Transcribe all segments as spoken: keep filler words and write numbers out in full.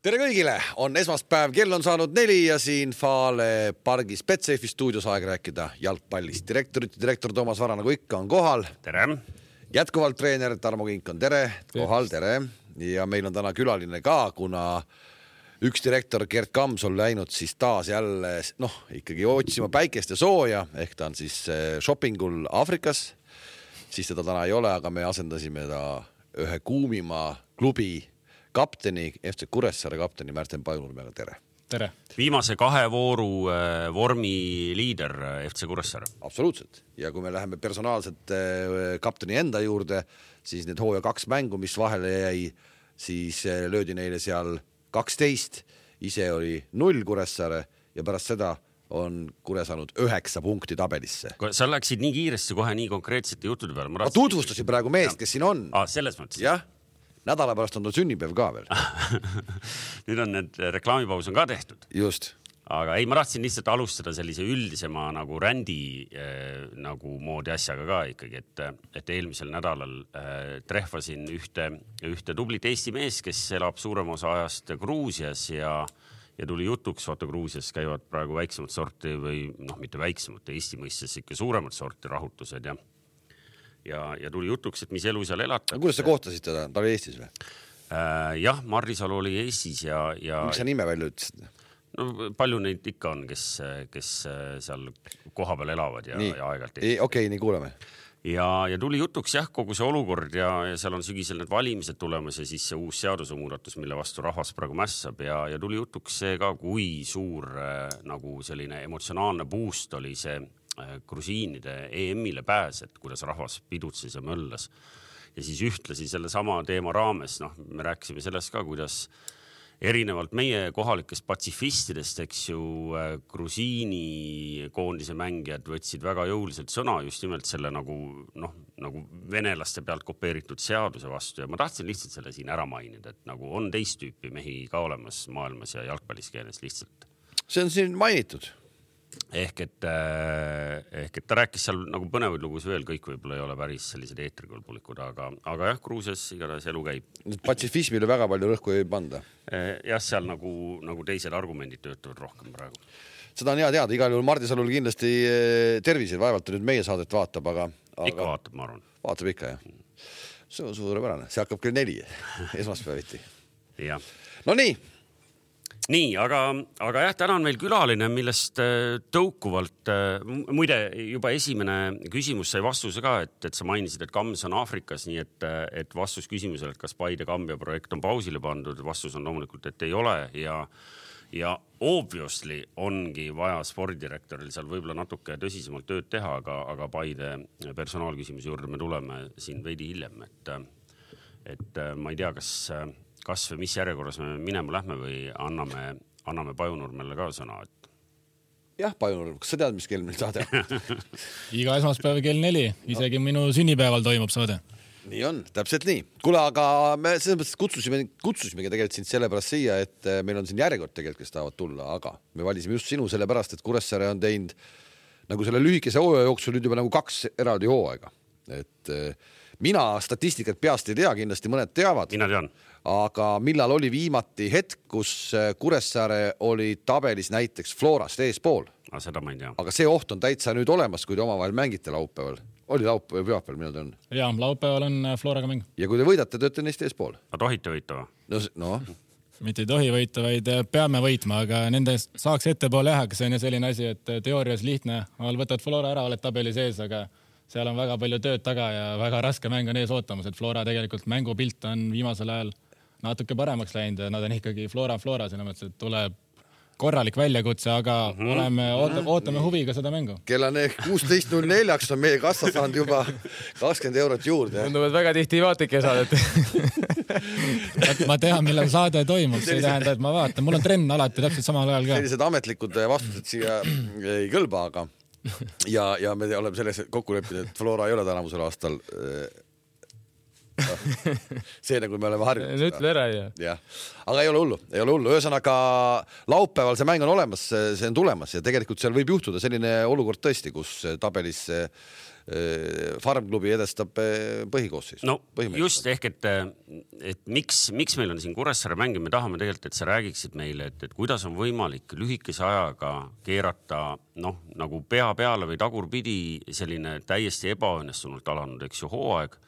Tere kõigile, on esmaspäev, kell on saanud neli ja siin Fale pargis Betsafe stuudios aeg rääkida jalgpallist. Direktorit ja direktor Toomas Vara nagu ikka on kohal. Tere. Jätkuvalt treener Tarmo Kink on tere, kohal, tere. Ja meil on täna külaline ka, kuna üks direktor Gert Kams on läinud siis taas jälle noh, ikkagi otsima päikest ja sooja, ehk ta on siis shoppingul Afrikas. Siis teda täna ei ole, aga me asendasime ta ühe kuumima klubi kapteni, F C Kuressaare kapteni Märten Pajunurmega, tere. Tere. Viimase kahe vooru vormi liider F C Kuressaare. Absoluutselt. Ja kui me läheme personaalselt kapteni enda juurde, siis need hooja kaks mängu, mis vahele jäi, siis löödi neile seal kaksteist, ise oli null Kuressaare ja pärast seda on Kure saanud üheksa punkti tabelisse. Sa läksid nii kiiresti kohe nii konkreetsete juttude peale. Ma tutvustasin praegu meest, kes siin on. Ah, selles mõttes. Jah. Nädala pärast on ta sünnipäev ka veel. Nüüd on need reklaamipaus on ka tehtud. Just. Aga ei, ma tahtsin lihtsalt alustada sellise üldisema nagu rändi eh, nagu moodi asjaga ka ikkagi, et, et eelmisel nädalal eh, trehvasin ühte, ühte tublit Eesti mees, kes elab suurem osa ajast Gruusias ja, ja tuli jutuks, vaata Gruusias käivad praegu väiksemat sorti või noh, mitte väiksemat, Eesti mõistes ikka suuremat sorti rahutused ja Ja, ja tuli jutuks, et mis elu seal elatakse. Kuidas sa kohtasid teda? Ta oli Eestis või? Äh, jah, Marrisalu oli Eestis ja... ja miks sa nime välja ütlesid? No palju neid ikka on, kes, kes seal koha peal elavad ja, ja aegalt. Okei, okay, nii kuuleme. Ja, ja tuli jutuks jah, kogu see olukord ja, ja seal on sügisel need valimised tulemas ja siis see uus seadusemuudatus, mille vastu rahvas praegu mässab ja, ja tuli jutuks see ka, kui suur nagu selline emotsionaalne boost oli see grusiinide E M-ile pääs, et kuidas rahvas pidutses ja möllas. Ja siis ühtlasin selle sama teema raames, noh, me rääkisime sellest ka, kuidas erinevalt meie kohalikest patsifistidest, eks ju, grusiini koondise mängijad võtsid väga jõuliselt sõna just nimelt selle nagu, noh, nagu venelaste pealt kopeeritud seaduse vastu ja ma tahtsin lihtsalt selle siin ära mainida, et nagu on teist tüüpi mehi ka olemas maailmas ja jalgpalliskeeles lihtsalt. See on siin mainitud. Ehk et, ehk et ta rääkis seal nagu põnevaid lugus veel, kõik võib-olla ei ole päris sellised eetrikõlbulikud, aga, aga jah, Gruusias igatahes elu käib. Patsifismile väga palju rõhku ei panda. Jah, seal nagu, nagu teised argumendid töötavad rohkem praegu. Seda on hea teada, igal juhul Mardisalul kindlasti tervised, vaevalt nüüd meie saadet vaatab, aga... aga... Ikka vaatab, ma arvan. Vaatab ikka, jah. See on suurepärane, see hakkab küll neli, esmaspäeviti. Jah. No nii. Nii, aga, aga jah, täna on meil külaline, millest tõukuvalt, muide juba esimene küsimus sai vastuse ka, et, et sa mainisid, et Kams on Afrikas, nii et, et vastus küsimusele, et kas Paide Kambja projekt on pausile pandud, vastus on loomulikult, et ei ole ja, ja obviously ongi vaja spordidirektoril seal võib-olla natuke tõsisemalt tööd teha, aga, aga Paide personaalküsimuse juurde me tuleme siin veidi hiljem, et, et ma ei tea, kas... kas või mis järjekorras me minema lähme või anname, anname Pajunurmele ka sõna? Et... Jah, Pajunurm, kas sa tead, mis kell meil saade? Iga esmaspäev kell neli, isegi no. Minu sünnipäeval toimub saade. Nii on, täpselt nii. Kule, aga me selles mõttes kutsusime, kutsusimegi tegelikult sind sellepärast siia, et meil on siin järjekord tegelikult, kes tahavad tulla, aga me valisime just sinu sellepärast, et Kuressaare on teinud nagu selle lühikese hooaja jooksul nüüd juba nagu kaks eraldi hooaega. Et mina statistikat peast ei tea, kindlasti mõned teavad. Mina tean. Aga millal oli viimati hetk, kus Kuressaare oli tabelis näiteks Florast eespool? Aga seda ma ei tea. Aga see oht on täitsa nüüd olemas, kui te omavahel mängite laupäeval. Oli laupäeval või pühapäeval, millal ta on? Jaa, laupäeval on Floraga mäng. Ja kui te võidate, tööte neist eespool? Aga tohite võita või? No, no. Mitte ei tohi võita, vaid peame võitma, aga nende saaks ettepoole jah, aga see on selline asi, et teoorias lihtne. Võtad Flora ära, oled tabeli sees, aga seal on väga palju tööd taga ja väga raske mäng on ees ootamas, et Flora tegelikult mängupilt on viimasel ajal natuke paremaks läinud ja nad on ikkagi Flora Flora, selle mõttes, et tuleb korralik väljakutse, aga mm -hmm. oleme, ootame, ootame huviga seda mängu. Kella kuusteist null neli on meie kassa saanud juba kakskümmend eurot juurde. Tundub, et väga tihti ei vaata ikka saadet. Ma tean, millal saade toimub, see ei tähenda, et ma vaatan. Mul on trenn alati täpselt samal ajal ka. Sellised ametlikud vastused siia ei kõlba, aga ja, ja me oleme selles kokku leppinud, et Flora ei ole tänavusel aastal see nagu me oleme harjunud. Ütle ära, jah. Ja. Aga ei ole hullu, ei ole hullu. Ühesõnaga laupäeval see mäng on olemas, see on tulemas ja tegelikult seal võib juhtuda selline olukord tõesti, kus tabelis farmklubi edestab põhikoosseis. No just ehk, et, et miks, miks meil on siin Kuressaare mäng, me tahame tegelikult, et sa räägiksid meile, et, et kuidas on võimalik lühikese ajaga keerata noh, nagu pea peale või tagurpidi selline täiesti ebaõnnestunult alanud, eks ju, hooaeg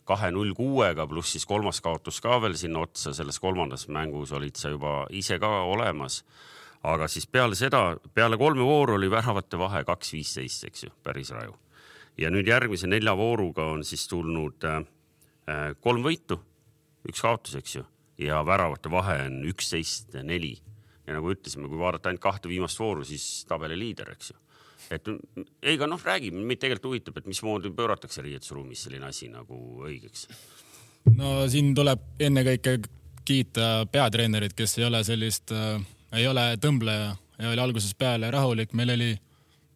kahe null kuuega pluss siis kolmas kaotus ka veel sinna otsa, selles kolmandas mängus olid sa juba ise ka olemas. Aga siis peale seda, peale kolme vooru oli väravate vahe kaks viisteist, eks ju, päris raju. Ja nüüd järgmise nelja vooruga on siis tulnud äh, kolm võitu, üks kaotus, eks ju, ja väravate vahe on üksteist neli. Ja nagu ütlesime, kui vaadata ainult kahte viimast vooru, siis tabeli liider, eks ju. Et eiga noh, räägime, meid tegelikult huvitab, et mismoodi pööratakse riietusruumis selline asi nagu õigeks. No siin tuleb enne kõike kiita peatreenerid, kes ei ole sellist, äh, ei ole tõmbleja ja oli alguses peale rahulik. Meil oli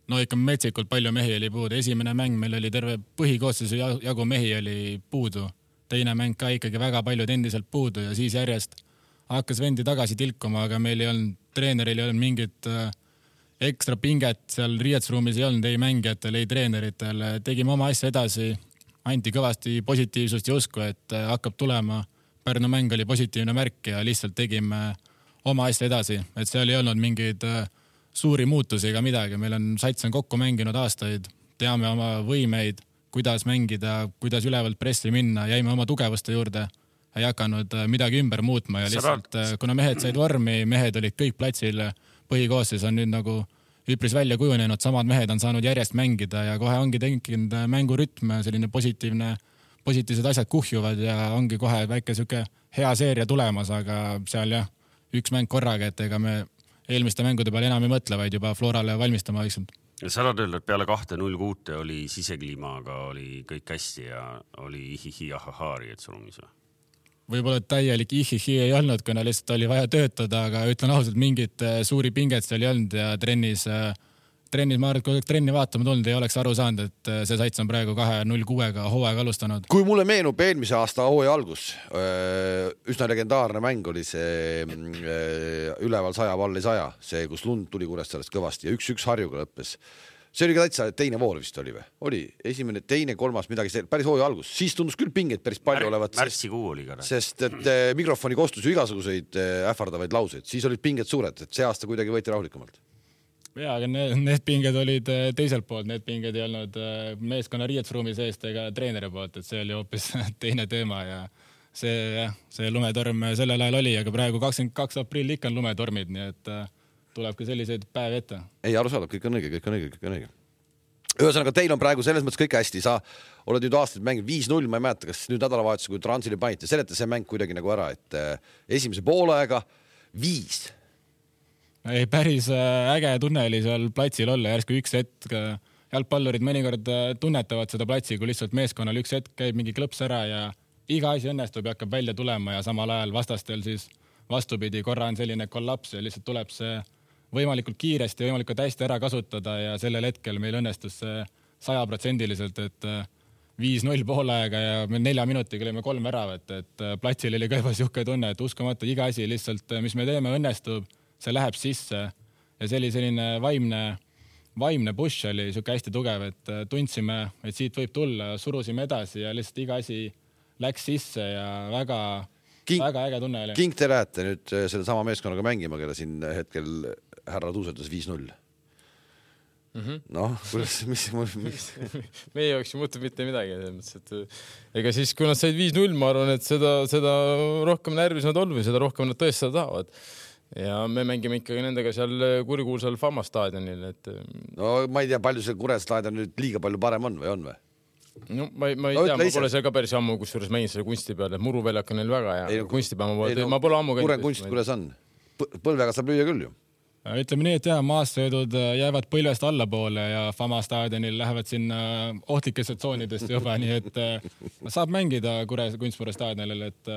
no ikka metsikult palju mehi oli puudu. Esimene mäng meil oli terve põhikoosseisu jagu mehi oli puudu. Teine mäng ka ikkagi väga paljud endiselt puudu ja siis järjest hakkas vendi tagasi tilkuma, aga meil ei olnud, treeneril ei olnud mingit äh, ekstra pinget seal riietusruumis ei olnud, ei mängijatel, ei treeneritel. Tegime oma asja edasi, anti kõvasti positiivsust ja usku, et hakkab tulema. Pärnu mäng oli positiivne märk ja lihtsalt tegime oma asja edasi. Et seal ei olnud mingeid suuri muutusi ega midagi. Meil on sats on kokku mänginud aastaid, teame oma võimeid, kuidas mängida, kuidas ülevalt pressi minna, jäime oma tugevuste juurde. Ei hakanud midagi ümber muutma ja lihtsalt, kuna mehed said vormi, mehed olid kõik platsil, põhikoosseis on nüüd nagu üpris välja kujunenud, samad mehed on saanud järjest mängida ja kohe ongi tekkinud mängurütm, selline positiivne, positiivsed asjad kuhjuvad ja ongi kohe väike süke hea seeria tulemas, aga seal jah, üks mäng korraga, et ega me eelmiste mängude peale enam ei mõtle, vaid juba Florale valmistama vaikselt. Ja sa tahad öelda, et peale kahte null kuute oli sisekliimaga, oli kõik hästi ja oli ihihi ahahaari, et surumis või? Võib-olla täielik ihihi ei olnud, kuna lihtsalt oli vaja töötada, aga ütlen ausalt, mingit suuri pinget seal ei olnud ja trennis, trennis ma arvan, et kui trenni vaatama tulnud, ei oleks aru saanud, et see sats on praegu kahe null kuuega hooaeg alustanud. Kui mulle meenub eelmise aasta hooaja algus, üsna legendaarne mäng oli see üleval saja valli saja, see, kus lund tuli Kuressaarest kõvasti ja üks-üks Harjuga lõppes. See oli ka täitsa teine voor vist oli või? Oli esimene, teine, kolmas, midagi päris hooaja algus. Siis tundus küll pingeid päris palju Mär, olevat. Märtsikuu oli ka. Sest et eh, mikrofoni kostus ju igasuguseid eh, ähvardavaid lauseid. Siis olid pinged suured, et see aasta kuidagi võeti rahulikumalt. Ja, aga need, need pinged olid teiselt poolt. Need pinged ei olnud meeskonna riietusruumi seest ega treeneri poolt, et see oli hoopis teine teema ja see, jah, see lumetorm sellel ajal oli, aga praegu kakskümmend kaks aprill ikka on lumetormid, nii et tuleb ka selliseid päev ette. Ei, aru saadab, kõik on õige, kõik on õige, kõik on õige. Ühesõnaga, teil on praegu selles mõttes kõik hästi. Sa oled nüüd aastaid mänginud viis null, ma ei mäleta, kas nüüd nädalavahetus, kui Transili panite, seleta see mäng kuidagi nagu ära, et esimese poolaega viis. Ei, päris äge tunne oli seal platsil olla, järsku üks hetk. Jalgpallurid mõnikord tunnetavad seda platsi, kui lihtsalt meeskonnal üks hetk käib mingi klõps ära ja iga asi õnnestub ja hakkab välja tulema ja samal ajal vastastel siis vastupidi, korra on selline kollaps ja lihtsalt tuleb see võimalikult kiiresti ja võimalikult hästi ära kasutada ja sellel hetkel meil õnnestus see sajaprotsendiliselt, et viis null poolaega ja me nelja minutiga olime kolm väravat, et platsil oli ka juba siuke tunne, et uskumata iga asi lihtsalt, mis me teeme, õnnestub, see läheb sisse ja see oli selline vaimne, vaimne push oli siuke hästi tugev, et tundsime, et siit võib tulla, surusime edasi ja lihtsalt iga asi läks sisse ja väga King, väga äge tunne oli. King te lähete nüüd selle sama meeskonnaga mängima, kelle siin hetkel härra tuusetas viis null. Mm-hmm. Noh, kuidas, mis, mis? Meie jaoks ei muutu mitte midagi. Et, ega siis, kui nad said viis null, ma arvan, et seda, seda rohkem närvis nad olnud või seda rohkem nad tõestada tahavad. Ja me mängime ikkagi nendega seal kurikuulsal Fama staadionil. Et... No ma ei tea, palju see Kure staadion nüüd liiga palju parem on või on või? No, ma, ma ei no, tea, ma pole seal ka päris ammu, kus juures mängin selle kunsti peale, et muruväljak on neil väga ja ei, kunstipäeva ma, no, ma pole ammu käinud. Kure kunst, kuidas on? Põlvega saab lüüa küll ju. Ütleme nii, et jah, maassöödud jäävad põlvest allapoole ja Fama staadionil lähevad sinna ohtlikesse tsoonidest juba, nii et saab mängida Kure kunstmuru staadionil, et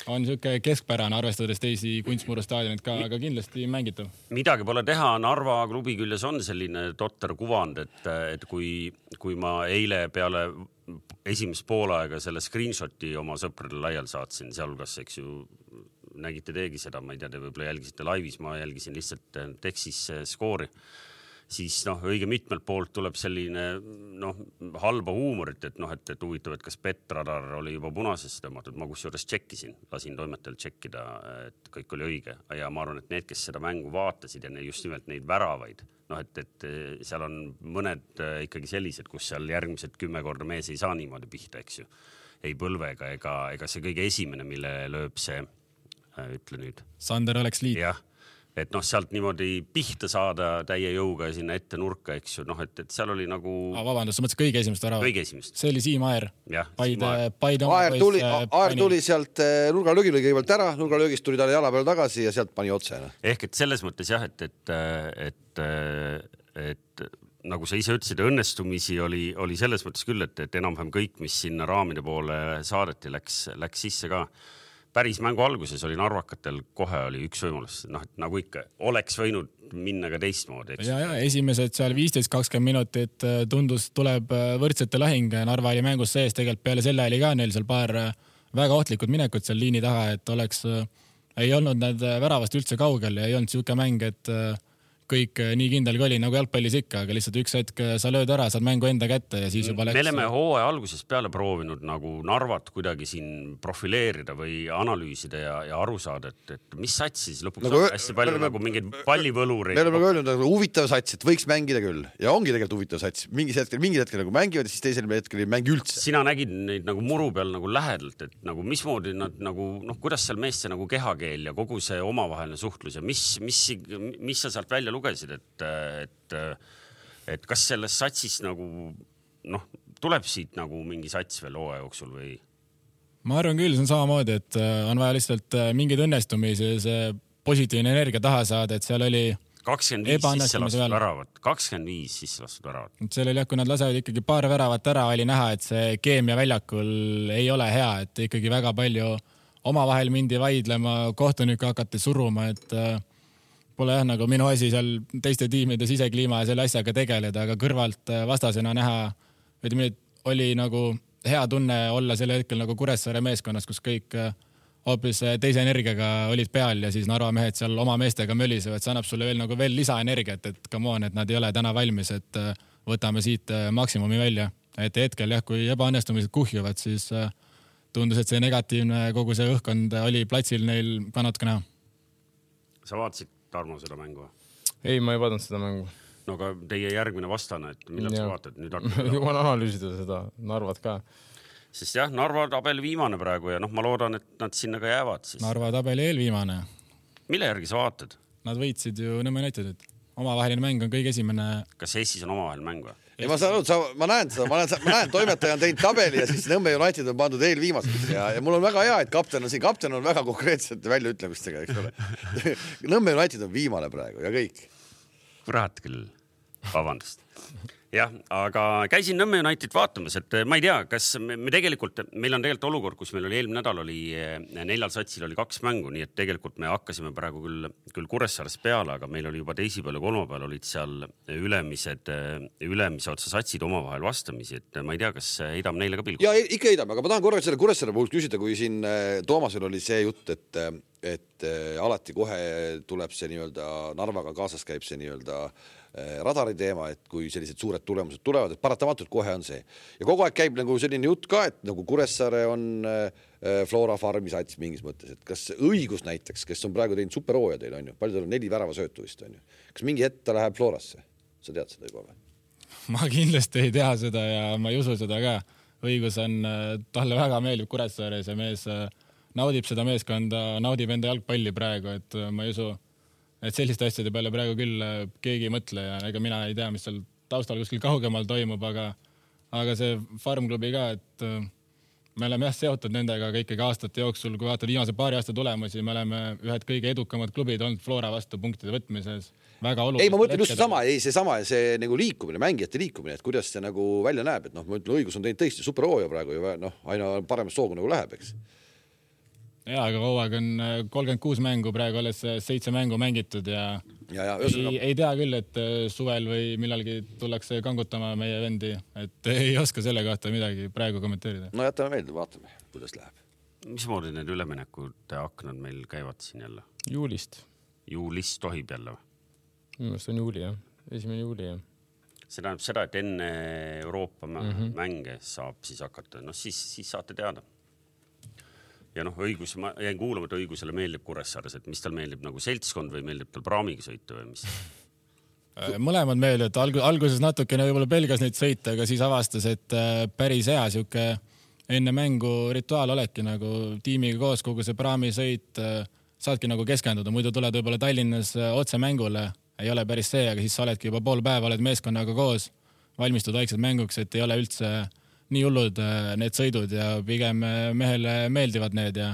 on siuke keskpärane, arvestades teisi kunstmuru staadionid ka, aga kindlasti mängitav. Midagi pole teha, Narva klubi küljes on selline totter kuvand, et, et kui, kui ma eile peale esimest poolaega selle screenshoti oma sõpradele laial saatsin, sealhulgas, eks ju, nägite teegi seda, ma ei tea, te võib-olla jälgisite laivis, ma jälgisin lihtsalt tekstis skoori. siis noh, õige mitmelt poolt tuleb selline noh, halba huumorit, et noh, et, et huvitav, et kas Petradar oli juba punasesse tõmmatud, ma kusjuures tšekkisin, lasin toimetajal tšekkida, et kõik oli õige ja ma arvan, et need, kes seda mängu vaatasid ja just nimelt neid väravaid, noh, et, et seal on mõned ikkagi sellised, kus seal järgmised kümme korda mees ei saa niimoodi pihta, eks ju, ei põlvega ega, ega see kõige esimene, mille lööb see ütle nüüd. Sander oleks liit. Jah, et noh, sealt niimoodi pihta saada täie jõuga sinna ette nurka, eks ju, noh, et, et seal oli nagu... Ah, vabandust, sa mõtlesid kõige esimest ära? Kõige esimest. See oli Siim Aer. Jah, Paide, Paide Aer tuli, Aer tuli sealt nurgalöögil kõigepealt ära, nurgalöögist tuli talle jala peal tagasi ja sealt pani otse. Ehk et selles mõttes jah, et, et, et, et, et nagu sa ise ütlesid, õnnestumisi oli, oli selles mõttes küll, et, et enam-vähem kõik, mis sinna raamide poole saadeti, läks, läks sisse ka. Päris mängu alguses oli narvakatel kohe oli üks võimalus, noh, et nagu ikka oleks võinud minna ka teistmoodi. Ja, ja esimesed seal viisteist kakskümmend minutit tundus, tuleb võrdsete lahing. Narva oli mängus sees, tegelikult peale selle oli ka neil seal paar väga ohtlikud minekut seal liini taha, et oleks, ei olnud nad väravast üldse kaugel ja ei olnud siuke mäng, et kõik nii kindel kui oli nagu jalgpallis ikka, aga lihtsalt üks hetk sa lööd ära, saad mängu enda kätte ja siis juba läks... Me oleme hooaja alguses peale proovinud nagu Narvat kuidagi siin profileerida või analüüsida ja, ja aru saada, et, et mis sats siis lõpuks nagu, hästi palju me, nagu mingeid pallivõlureid. Me oleme öelnud nagu huvitav sats, et võiks mängida küll ja ongi tegelikult huvitav sats. Mingis hetkel, mingid hetkel nagu mängivad ja siis teisel hetkel ei mängi üldse. Sina nägid neid nagu muru peal nagu lähedalt, et nagu mismoodi nad nagu, noh, kuidas seal meeste nagu kehakeel ja kogu see omavaheline suhtlus ja mis, mis, mis sa sealt välja lugesid, et, et, et kas selles satsis nagu, noh, tuleb siit nagu mingi sats veel hooaja jooksul või? Ma arvan küll, see on samamoodi, et on vaja lihtsalt mingid õnnestumisi ja see positiivne energia taha saada, et seal oli kakskümmend viis sisse lastud väravat, kakskümmend viis sisse lastud väravat. Seal oli jah, kui nad lasevad ikkagi paar väravat ära, oli näha, et see keemia väljakul ei ole hea, et ikkagi väga palju omavahel mindi vaidlema, kohtunikku hakati suruma, et pole jah nagu minu asi seal teiste tiimide sisekliima ja selle asjaga tegeleda, aga kõrvalt vastasena näha, ütleme, oli nagu hea tunne olla selle hetkel nagu Kuressaare meeskonnas, kus kõik hoopis teise energiaga olid peal ja siis Narva mehed seal oma meestega mölisevad, see annab sulle veel nagu veel lisaenergiat, et come on, et nad ei ole täna valmis, et võtame siit maksimumi välja. Et hetkel jah, kui ebaõnnestumised kuhjuvad, siis tundus, et see negatiivne kogu see õhkkond oli platsil neil ka natuke näha. Sa vaatasid Tarmo seda mängu? Ei, ma ei vaadanud seda mängu. No aga teie järgmine vastane, et millal ja. Sa vaatad? Nüüd juba on analüüsida seda Narvat ka. Sest jah, Narva tabeli viimane praegu ja noh, ma loodan, et nad sinna ka jäävad. Siis. Narva tabeli eelviimane. Mille järgi sa vaatad? Nad võitsid ju Nõmme Unitedit. Omavaheline mäng on kõige esimene... Kas Eestis on omavaheline mäng või? Ei, ma saan aru, ma näen seda, ma näen, ma näen toimetaja on teinud tabeli ja siis Nõmme United on pandud eelviimaseks ja, ja mul on väga hea, et kapten on siin, kapten on väga konkreetsete väljaütlemistega, eks ole. Nõmme United on viimane praegu ja kõik. Kurat küll, vabandust. Jah, aga käisin Nõmme United vaatamas, et ma ei tea, kas me, me tegelikult, meil on tegelikult olukord, kus meil oli eelmine nädal oli neljal satsil oli kaks mängu, nii et tegelikult me hakkasime praegu küll, küll Kuressaares peale, aga meil oli juba teisipäeval ja kolmapäeval olid seal ülemised, ülemise otsa satsid omavahel vastamisi, et ma ei tea, kas heidame neile ka pilgu. Ja ikka heidame, aga ma tahan korraks selle Kuressaare puhul küsida, kui siin Toomasel oli see jutt, et, et alati kohe tuleb see nii-öelda Narvaga kaasas käib see nii-öelda radari teema, et kui sellised suured tulemused tulevad, et paratamatult kohe on see. Ja kogu aeg käib nagu selline jutt ka, et nagu Kuressaare on Flora Farmi sats mingis mõttes, et kas õigus näiteks, kes on praegu teinud superhooja teil, on ju, palju tal on neli värava söötu vist, on ju. Kas mingi hetk ta läheb Florasse? Sa tead seda juba või? Ma kindlasti ei tea seda ja ma ei usu seda ka. Õigus on, talle väga meeldib Kuressaare, see mees naudib seda meeskonda, naudib enda jalgpalli praegu, et ma ei usu, et selliste asjade peale praegu küll keegi ei mõtle ja ega mina ei tea, mis seal taustal kuskil kaugemal toimub, aga, aga see farmklubi ka, et me oleme jah seotud nendega ikkagi aastate jooksul, kui vaatad viimase paari aasta tulemusi, me oleme ühed kõige edukamad klubid olnud Flora vastu punktide võtmises. Väga oluline. Ei, ma mõtlen just sama, ei see sama, see nagu liikumine, mängijate liikumine, et kuidas see nagu välja näeb, et noh, ma ütlen, õigus on teinud tõesti superhooja praegu ja noh, aina paremas soogu nagu läheb, eks. Ja, aga hooaeg on kolmkümmend kuus mängu, praegu alles seitse mängu mängitud ja, ja, ja ei, ei tea küll, et suvel või millalgi tullakse kangutama meie vendi, et ei oska selle kohta midagi praegu kommenteerida. No jätame meelde, vaatame, kuidas läheb. Mismoodi need üleminekute aknad meil käivad siin jälle? Juulist. Juulist tohib jälle või? Minu meelest on juuli, jah. esimene juuli, jah. See tähendab seda, et enne Euroopa mm-hmm. mänge saab siis hakata, noh siis, siis saate teada. Ja noh, õigus, ma jäin kuulama, et õigusele meeldib Kuressaares, et mis tal meeldib nagu seltskond või meeldib tal praamiga sõita või mis? Mõlemad meeldib, et alguses natukene võib-olla pelgas neid sõita, aga siis avastas, et päris hea siuke enne mängu rituaal olekki nagu tiimiga koos kogu see praamisõit, saadki nagu keskenduda, muidu tuled võib-olla Tallinnas otse mängule, ei ole päris see, aga siis sa oledki juba pool päeva, oled meeskonnaga koos, valmistud vaikselt mänguks, et ei ole üldse nii hullud need sõidud ja pigem mehele meeldivad need ja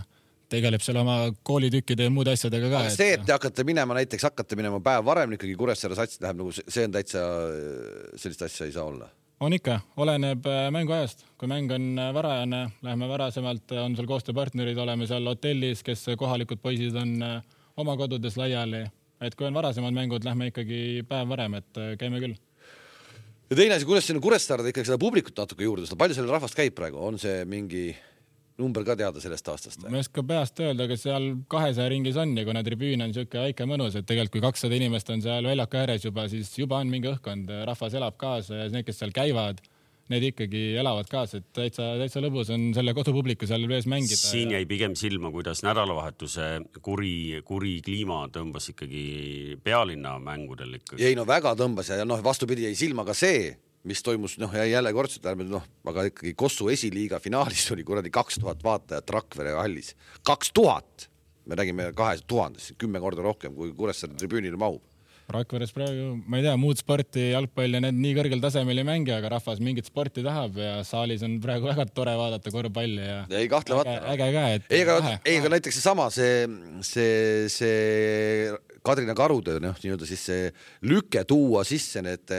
tegeleb seal oma koolitükkide ja muud asjadega ka. Aga see, et te hakkate minema, näiteks hakkate minema päev varem, ikkagi Kuressaare sats läheb nagu see on täitsa, sellist asja ei saa olla. On ikka, oleneb mängu ajast. Kui mäng on varajane, läheme varasemalt, on seal koostööpartnerid, oleme seal hotellis, kes kohalikud poisid on oma kodudes laiali. Et kui on varasemad mängud, lähme ikkagi päev varem, et käime küll. Ja teine asi, kuidas siin Kuressaarde ikkagi seda publikut natuke juurde, seda palju selle rahvast käib praegu, on see mingi number ka teada sellest aastast? Ma ei oska peast öelda, aga seal kahesaja ringis on ja kuna tribüün on siuke väike mõnus, et tegelikult kui kakssada inimest on seal väljaka ääres juba, siis juba on mingi õhkkond, rahvas elab kaasa ja need, kes seal käivad, need ikkagi elavad kaasa, et täitsa, täitsa lõbus on selle kodupubliku seal vees mängida. Siin jäi pigem silma, kuidas nädalavahetuse kuri, kuri kliima tõmbas ikkagi pealinna mängudel ikkagi. Ei no väga tõmbas ja noh, vastupidi jäi silma ka see, mis toimus, noh ja jälle kordselt, noh, aga ikkagi Kossu esiliiga finaalis oli kuradi kaks tuhat vaatajat Rakvere hallis. kaks tuhat! Me räägime kahe tuhandest, kümme korda rohkem, kui Kuressaare tribüünile mahub. Rakveres praegu, ma ei tea, muud sporti, jalgpall ja need nii kõrgel tasemel ei mängi, aga rahvas mingit sporti tahab ja saalis on praegu väga tore vaadata korvpalli ja ei kahtlevata. Äge, äge ka, et ei, aga, ei, aga näiteks see sama, see, see, see Kadrina Karude, noh, nii-öelda siis see lüke tuua sisse need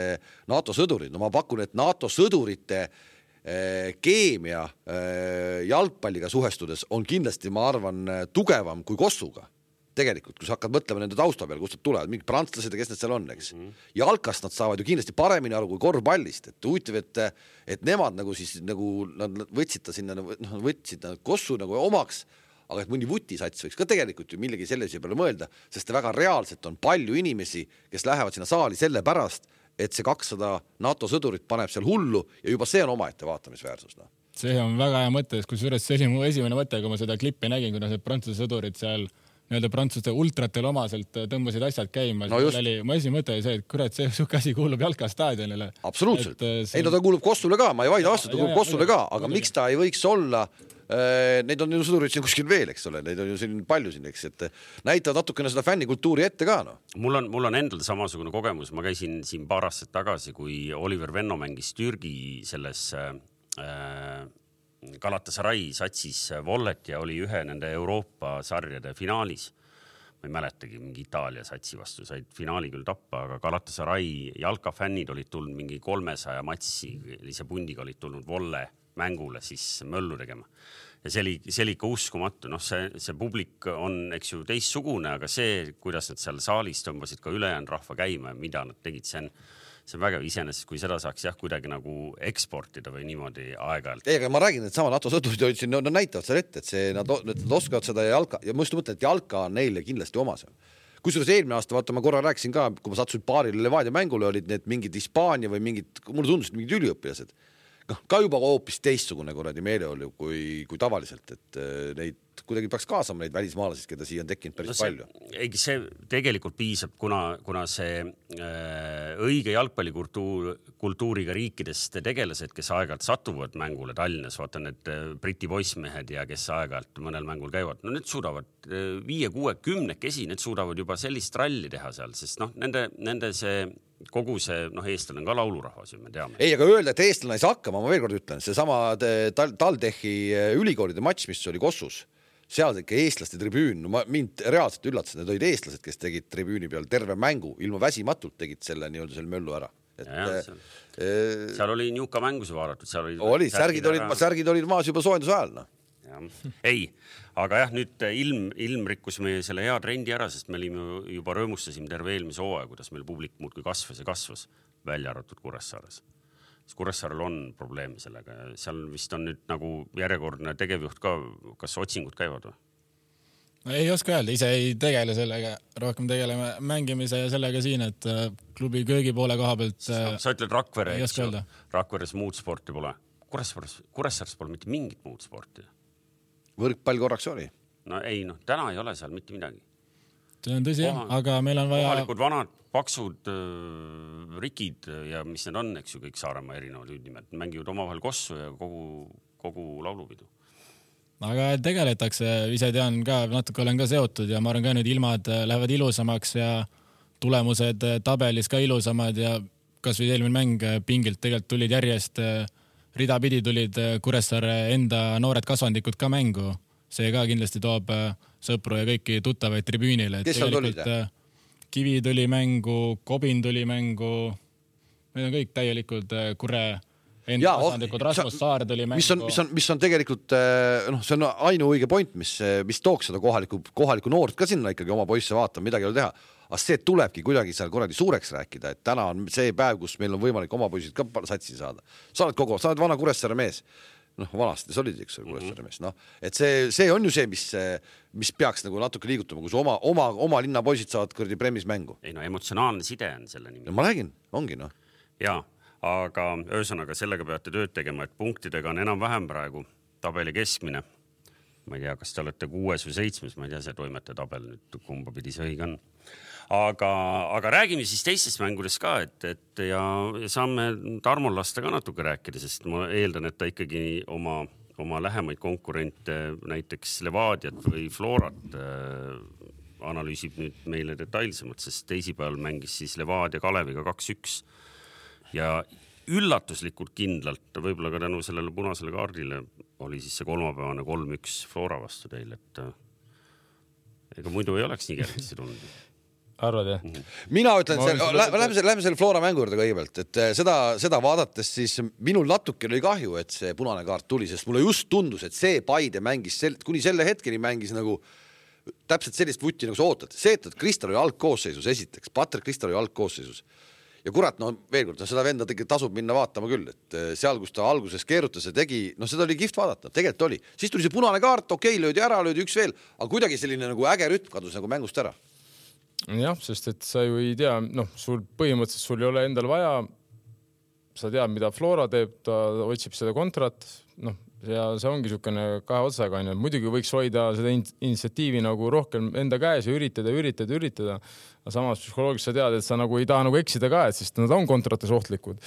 NATO sõdurid. No ma pakun, et NATO sõdurite eh, keemia eh, jalgpalliga suhestudes on kindlasti, ma arvan, tugevam kui Kossuga. Tegelikult, kui sa hakkad mõtlema nende tausta peal, kust nad tulevad, mingid prantslased ja kes need seal on, eks. Mm. Ja jalkast nad saavad ju kindlasti paremini aru kui korvpallist, et huvitav, et, et nemad nagu siis, nagu nad võtsid ta sinna, noh, võtsid nad Kossu nagu omaks, aga et mõni vutisats võiks ka tegelikult ju millegi sellise peale mõelda, sest väga reaalselt on palju inimesi, kes lähevad sinna saali selle pärast, et see kakssada NATO sõdurit paneb seal hullu ja juba see on omaette vaatamisväärsus. No. See on väga hea mõte, kus juures see oli mu esimene mõte, kui ma seda klippi nägin, kuna need prantsuse sõdurid seal nii-öelda prantsuste ultratel omaselt tõmbasid asjad käima. No oli, ma esimene mõte oli see, et kurat, see suke asi kuulub jalkastaadionile. Absoluutselt. See... ei, no ta kuulub Kossule ka, ma ei vaida vastu, ta kuulub Kossule ka, aga miks ta ei võiks olla, neid on ju sõdurid siin kuskil veel, eks ole, neid on ju siin palju siin, eks, et näitavad natukene seda fännikultuuri ette ka, no. Mul on, mul on endal samasugune kogemus, ma käisin siin paar aastat tagasi, kui Oliver Venno mängis Türgi selles äh, Galatasaray satsis Vollet ja oli ühe nende Euroopa sarjade finaalis. Ma ei mäletagi, mingi Itaalia satsi vastu said finaali küll tappa, aga Galatasaray jalkafännid olid tulnud mingi kolmesaja matsi, lise pundiga olid tulnud Volle mängule siis möllu tegema. Ja see oli, see oli ikka uskumatu. Noh, see, see publik on, eks ju, teissugune, aga see, kuidas nad seal saalis tõmbasid ka ülejäänud rahva käima ja mida nad tegid, see on see on väga iseenesest, kui seda saaks jah, kuidagi nagu eksportida või niimoodi aeg-ajalt. Ei, aga ma räägin, et sama NATO sõdurid olid siin, no, no näitavad seal ette, et see, nad, nad oskavad seda jalka ja ma just mõtlen, et jalka on neile kindlasti omas. Kusjuures eelmine aasta, vaata, ma korra rääkisin ka, kui ma satsusin paarile Levadia mängule, olid need mingid Hispaania või mingid, mulle tundusid mingid üliõpilased. Ka juba hoopis teistsugune kuradi meele oli kui, kui tavaliselt, et neid kuidagi peaks kaasama neid välismaalasid, keda siia on tekkinud päris no see, palju. Ei, see tegelikult piisab, kuna, kuna see äh, õige jalgpallikultuur, kultuuriga riikidest tegelased, kes aeg-ajalt satuvad mängule Tallinnas, vaata need Briti poissmehed ja kes aeg-ajalt mõnel mängul käivad, no need suudavad viie, kuue, kümnekesi, need suudavad juba sellist ralli teha seal, sest noh, nende, nende see kogu see, noh, eestlane on ka laulurahvas, me teame. Ei, aga öelda, et eestlane ei saa hakkama, ma veel kord ütlen, see sama Taldechi ülikoolide matš, mis oli Kossus, seal ikka eestlaste tribüün, no ma, mind reaalselt üllatas, need olid eestlased, kes tegid tribüüni peal terve mängu, ilma väsimatult tegid selle nii-öelda selle möllu ära. Et, ja, seal, äh, seal oli niuka mängus vaadatud, seal oli, oli särgid, olid, särgid olid maas juba soojenduse ajal. No. Ja. Ei, aga jah, nüüd ilm, ilm rikkus meie selle hea trendi ära, sest me olime juba rõõmustasime terve eelmise hooaja, kuidas meil publik muudkui kasvas ja kasvas välja arvatud Kuressaares. Kuressaarel on probleemi sellega. Seal vist on nüüd nagu järjekordne tegevjuht ka, kas otsingud käivad või? ei oska öelda, ise ei tegele sellega, rohkem tegeleme mängimise ja sellega siin, et klubi köögi poole koha pealt. Sa ütled Rakvere, Rakveres muud sporti pole. Kuressaares, Kuressaares pole mitte mingit muud sporti. Võrkpall korraks oli. No ei, noh, täna ei ole seal mitte midagi. See on tõsi, Koha, aga meil on vaja... Kohalikud vanad, paksud äh, rikid ja mis need on, eks ju, kõik Saaremaa erinevad hüüdnimed. Mängivad omavahel kossu ja kogu, kogu laulupidu. Aga tegeletakse, ise tean ka, natuke olen ka seotud ja ma arvan ka nüüd ilmad lähevad ilusamaks ja tulemused tabelis ka ilusamad ja kas või eelmine mäng pingilt tegelikult tulid järjest, ridapidi tulid Kuressaare enda noored kasvandikud ka mängu. See ka kindlasti toob sõpru ja kõiki tuttavaid tribüünile. Kes seal tulid? Kivi tuli mängu, Kobin tuli mängu, need on kõik täielikult Kure enda kasvandikud, Rasmus Saar tuli mängu. Mis on, mis on, mis on tegelikult, noh, see on ainuõige point, mis, mis tooks seda kohaliku, kohaliku noort ka sinna ikkagi oma poisse vaatama, midagi ei ole teha. Aga see tulebki kuidagi seal kuradi suureks rääkida, et täna on see päev, kus meil on võimalik oma poisid ka satsi saada. Sa oled kogu, sa oled vana Kuressaare mees. Noh, vanasti sa olid, eks ole, Kuressaare mees. No, et see, see on ju see, mis, mis peaks nagu natuke liigutama, kus oma, oma, oma linna poisid saavad kuradi premis mängu. Ei no, emotsionaalne side on selle nimi. No, ma räägin, ongi noh. Jaa. Aga öösõnaga sellega peate tööd tegema, et punktidega on enam-vähem praegu tabeli keskmine. Ma ei tea, kas te olete kuues või seitsmes, ma ei tea, see toimete tabel nüüd kumba pidi see õige on. Aga, aga räägime siis teistest mängudest ka, et, et ja, ja saame Tarmol lasta ka natuke rääkida, sest ma eeldan, et ta ikkagi oma, oma lähemaid konkurente, näiteks Levadiat või Florat äh, analüüsib nüüd meile detailsemalt, sest teisipäeval mängis siis Levadia Kaleviga kaks üks. Ja üllatuslikult kindlalt, võib-olla ka tänu sellele punasele kaardile, oli siis see kolmapäevane kolm üks Flora vastu teil, et ega muidu ei oleks nii kergesti tulnud. Arvad, jah? Mm-hmm. Mina ütlen, lähme selle, lähme selle Flora mängu juurde kõigepealt, et seda, seda vaadates siis minul natuke oli kahju, et see punane kaart tuli, sest mulle just tundus, et see Paide mängis, sel, kuni selle hetkeni mängis nagu täpselt sellist vutti, nagu sa ootad. See, et Kristal oli algkoosseisus esiteks, Patrik Kristal oli algkoosseisus. Ja kurat, no veel kord, no seda venda tegi, tasub minna vaatama küll, et seal, kus ta alguses keerutas ja tegi, no seda oli kihvt vaadata, tegelikult oli. Siis tuli see punane kaart, okei, löödi ära, löödi üks veel, aga kuidagi selline nagu äge rütm kadus nagu mängust ära. Jah, sest et sa ju ei tea, noh, sul põhimõtteliselt sul ei ole endal vaja, sa tead, mida Flora teeb, ta otsib seda kontrat, noh, ja see ongi niisugune kahe otsaga, muidugi võiks hoida seda initsiatiivi nagu rohkem enda käes ja üritada, üritada, üritada. Aga samas psühholoogiliselt sa tead, et sa nagu ei taha nagu eksida ka, et sest nad on kontrates ohtlikud.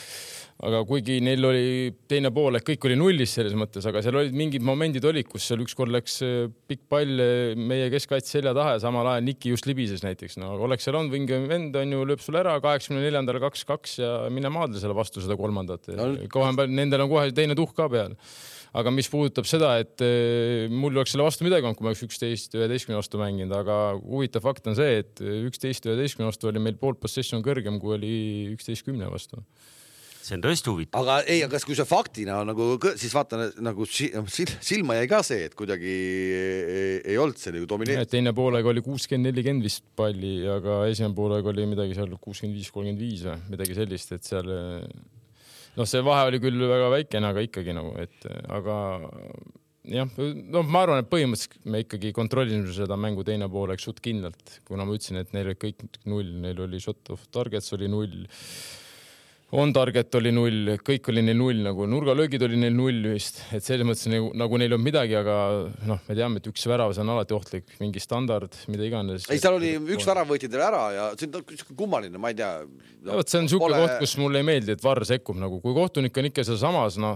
Aga kuigi neil oli teine pool, et kõik oli nullis selles mõttes, aga seal olid mingid momendid olid, kus seal ükskord läks pikk pall meie keskkaitse selja taha ja samal ajal Niki just libises näiteks. No, oleks seal on vingi vend, on ju, lööb sul ära kaheksakümne neljandal kaks kaks ja mine maadle selle vastu seda kolmandat. No, kohe, nendel on kohe teine tuhk ka peal. Aga mis puudutab seda, et mul oleks selle vastu midagi on, kui ma oleks üksteist üheteistkümne vastu mänginud, aga huvitav fakt on see, et üksteist üheteistkümne vastu oli meil pool possession kõrgem, kui oli üksteist kümne vastu. See on tõesti huvitav. Aga ei, aga kui see faktina nagu, siis vaata, nagu silma jäi ka see, et kuidagi ei, ei olnud see nagu domineeritud. Teine poolega oli kuuskümmend nelikümmend vist palli, aga esimene poolega oli midagi seal kuuskümmend viis kolmkümmend viis või midagi sellist, et seal... noh, see vahe oli küll väga väikene, aga ikkagi nagu, et aga jah, no ma arvan, et põhimõtteliselt me ikkagi kontrollisime seda mängu teine pooleks suht kindlalt, kuna ma ütlesin, et neil oli kõik null, neil oli shot of targets oli null, on target oli null, kõik oli neil null, nagu nurgalöögid oli neil null vist, et selles mõttes nagu, nagu neil on midagi, aga noh, me teame, et üks värav on alati ohtlik, mingi standard, mida iganes. Ei, seal oli üks värav võeti teil ära ja see on kummaline, ma ei tea. No, see on niisugune koht, kus mulle ei meeldi, et V A R sekkub nagu, kui kohtunik on ikka seal samas, noh,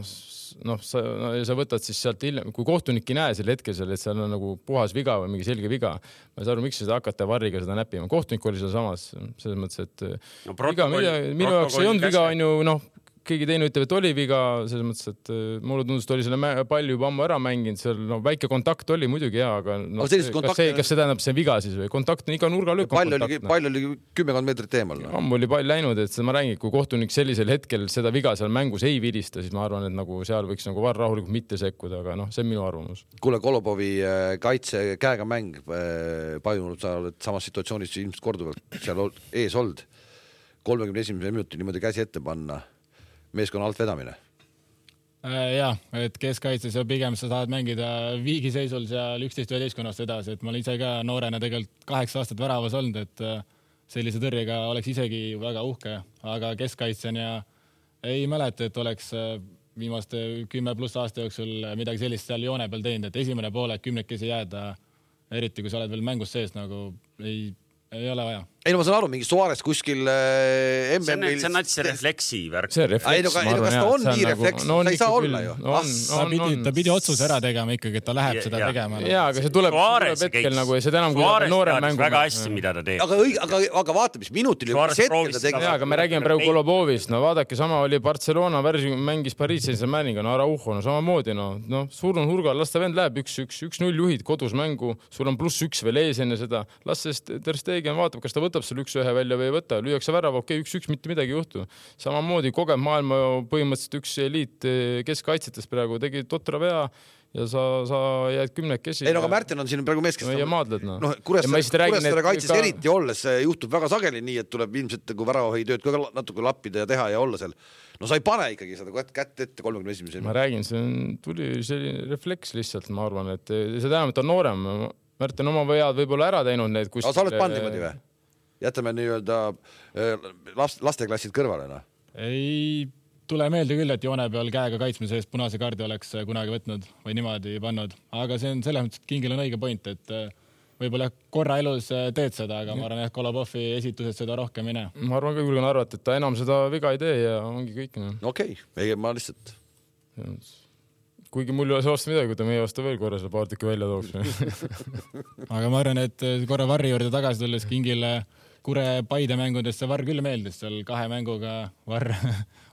noh, sa, no, sa võtad siis sealt hiljem, kui kohtunik ei näe selle hetkel seal, et seal on nagu puhas viga või mingi selge viga, ma ei saa aru, miks seda hakata V A R-iga seda näppima. Kohtunik oli seal samas, selles mõttes, et no, viga, minu jaoks ei olnud viga, on ju, noh, keegi teine ütleb, et oli viga, selles mõttes, et mulle tundus, et oli selle palli juba ammu ära mänginud, seal no, väike kontakt oli muidugi hea, aga no, kas, see, kas see tähendab see viga siis või? Kontakt on iga nurga löök. Pall oli, pall oli kümmekond meetrit eemal. No. Ammu oli pall läinud, et seda ma räägin, kui kohtunik sellisel hetkel seda viga seal mängus ei vilista, siis ma arvan, et nagu seal võiks nagu V A R rahulikult mitte sekkuda, aga noh, see on minu arvamus. Kuule, Kolobovi kaitse käega mäng pajunud, sa oled samas situatsioonis ilmselt korduvalt seal ees olnud. kolmekümne esimese minuti niimoodi käsi ette panna. Meeskonna alt vedamine. Jah, et keskkaitses ja pigem sa saad mängida viigiseisul seal üksteist üheteistkonnast edasi, et ma olen ise ka noorena tegelikult kaheksa aastat väravas olnud, et sellise tõrjega oleks isegi väga uhke, aga keskkaitsen ja ei mäleta, et oleks viimaste kümme pluss aasta jooksul midagi sellist seal joone peal teinud, et esimene poole kümnekesi jääda, eriti kui sa oled veel mängus sees, nagu ei, ei ole vaja. Ei, no ma saan aru, mingi Suarez kuskil äh, M M-il... See on näiteks see refleksi värk. See refleks, ei, no, ma arvan, kas ta on nii refleks? No, ta ei saa olla ju. No, on, ta, on, pidi, on. ta pidi otsuse ära tegema ikkagi, et ta läheb ja, seda ja. tegema. Jaa, aga see tuleb, tuleb hetkel nagu ja seda enam kui Suarez noorem mängu. Väga hästi, mida ta teeb. Aga, aga, aga vaata, mis minutil Suarez hetkel ta tegi. Jaa, aga me räägime praegu Kolobovist. No vaadake, sama oli Barcelona värsi, mängis Pariis Saint-Germainiga, no Araujo, no samamoodi, no, no suur on hurgal, las ta vend läheb üks üks, üks null juhid kodus mängu, sul on pluss üks veel ees enne seda, las sest Ter Stegen vaatab, kas ta võtab seal üks ühe välja või ei võta, lüüakse värava, okei, üks üks, mitte midagi ei juhtu. Samamoodi kogenud maailma põhimõtteliselt üks eliit keskkaitsetes praegu tegi totra vea ja sa, sa jääd kümnekesi. Ei, no aga Märten on siin praegu mees, kes no, ja maadled, no. No, Kuressaare kaitses ka... eriti olles juhtub väga sageli nii, et tuleb ilmselt kui väravahi tööd ka natuke lappida ja teha ja olla seal. No sa ei pane ikkagi seda kätt ette kolmekümne esimesel. Ma räägin, see on, tuli selline refleks lihtsalt, ma arvan, et see tähendab, et on noorem. Märten oma vead võib-olla ära teinud need kus... Aga sa oled pand niimoodi või? Jätame nii-öelda lasteklassid kõrvale, no? Ei tule meelde küll, et joone peal käega kaitsmise eest punase kaardi oleks kunagi võtnud või niimoodi pannud. Aga see on selles mõttes, et Kingil on õige point, et võib-olla korra elus teed seda, aga ma arvan, et Kolobovi esitused seda rohkem ei näe. Ma arvan ka julgen arvata, et ta enam seda viga ei tee ja ongi kõik. No. Okei, okay. ma lihtsalt... Kuigi mul ei ole see vastu midagi, kui ta meie vastu veel korra selle paar tükki välja tooks. Aga ma arvan, et korra Varri juurde tagasi tulles Kingile Kure Paide mängudest see Varr küll meeldis seal kahe mänguga. Varr,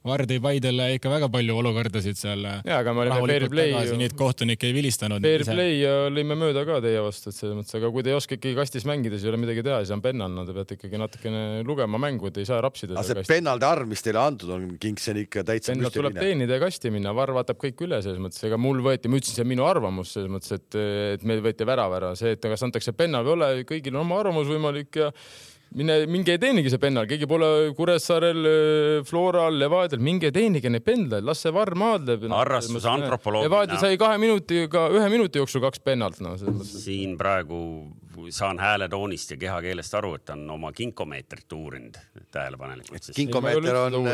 Varr tõi Paidele ikka väga palju olukordasid seal. Jaa, aga me olime fair play. Neid kohtunik ei vilistanud. Fair play ja lõime mööda ka teie vastu. Mõttes, aga kui te ei oska ikkagi kastis mängida, siis ei ole midagi teha, siis on pennal. No, te peate ikkagi natukene lugema mängu, et ei saa rapsida. Aga see pennalde arv, mis teile antud on, Kingsen ikka täitsa pennal tuleb teenida ja kasti minna. Varr vaatab kõik üle selles mõttes. Ega mul võeti, ma ütlesin, see on minu arvamus selles mõttes, et, et meil võeti värav ära. See, et kas antakse pennal või ole, kõigil on oma arvamus võimalik ja Mine, minge ei teenigi see pennal, keegi pole Kuressaarel, Floral, Levadel, minge teenige neid pendlaid, las see Varr maadleb. Arrastus antropoloogina. Levadel sai kahe minutiga, ühe minuti jooksul kaks pennalt. No, siin praegu saan hääletoonist ja kehakeelest aru, et on oma kinkomeetrit uurinud tähelepanelikult. Kinkomeeter on,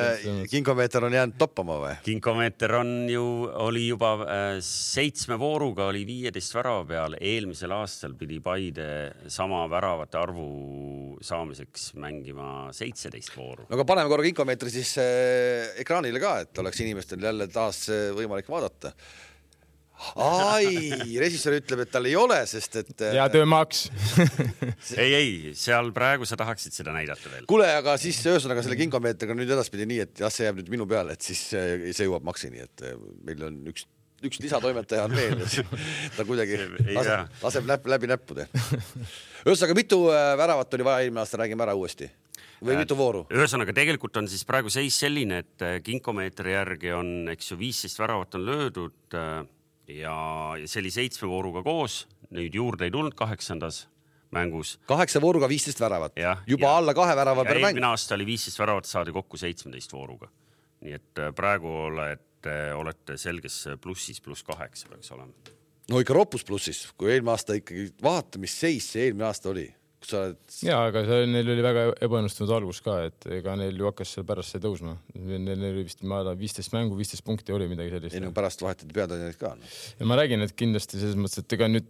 kinkomeeter on jäänud toppama või? Kinkomeeter on ju, oli juba seitsme vooruga, oli viieteist värava peal. Eelmisel aastal pidi Paide sama väravate arvu saamiseks mängima seitseteist vooru. No aga paneme korra kinkomeetri siis ekraanile ka, et oleks inimestel jälle taas võimalik vaadata. Ai, režissöör ütleb, et tal ei ole, sest et... Ja töömaks. ei, ei, seal praegu sa tahaksid seda näidata veel. Kuule, aga siis ühesõnaga selle kinkomeetriga nüüd edaspidi nii, et jah, see jääb nüüd minu peale, et siis see jõuab maksini, et meil on üks, üks lisatoimetaja on veel. Ta kuidagi laseb, laseb läbi, läbi näppude. Ühesõnaga, mitu väravat oli vaja eelmine aasta, räägime ära uuesti. Või mitu vooru? Ühesõnaga, tegelikult on siis praegu seis selline, et kinkomeetri järgi on, eks ju, viisteist väravat on löödud ja see oli seitsme vooruga koos, nüüd juurde ei tulnud kaheksandas mängus. Kaheksa vooruga viisteist väravat. Ja, juba ja, alla kahe värava per mäng. Eelmine aasta oli viisteist väravat, saadi kokku seitseteist vooruga. Nii et praegu olete, olete selges plussis, pluss kaheksa peaks olema. No ikka ropus plussis, kui eelmine aasta ikkagi vaata, mis seis see eelmine aasta oli. Oled... Jaa, aga see, neil oli väga ebaõnnestunud algus ka, et ega neil ju hakkas seal pärast see tõusma. Neil oli vist viisteist mängu, viisteist punkti oli midagi sellist. Ei, no pärast vahetati peatreenerid ka. No. Ja ma räägin, et kindlasti selles mõttes, et ega nüüd,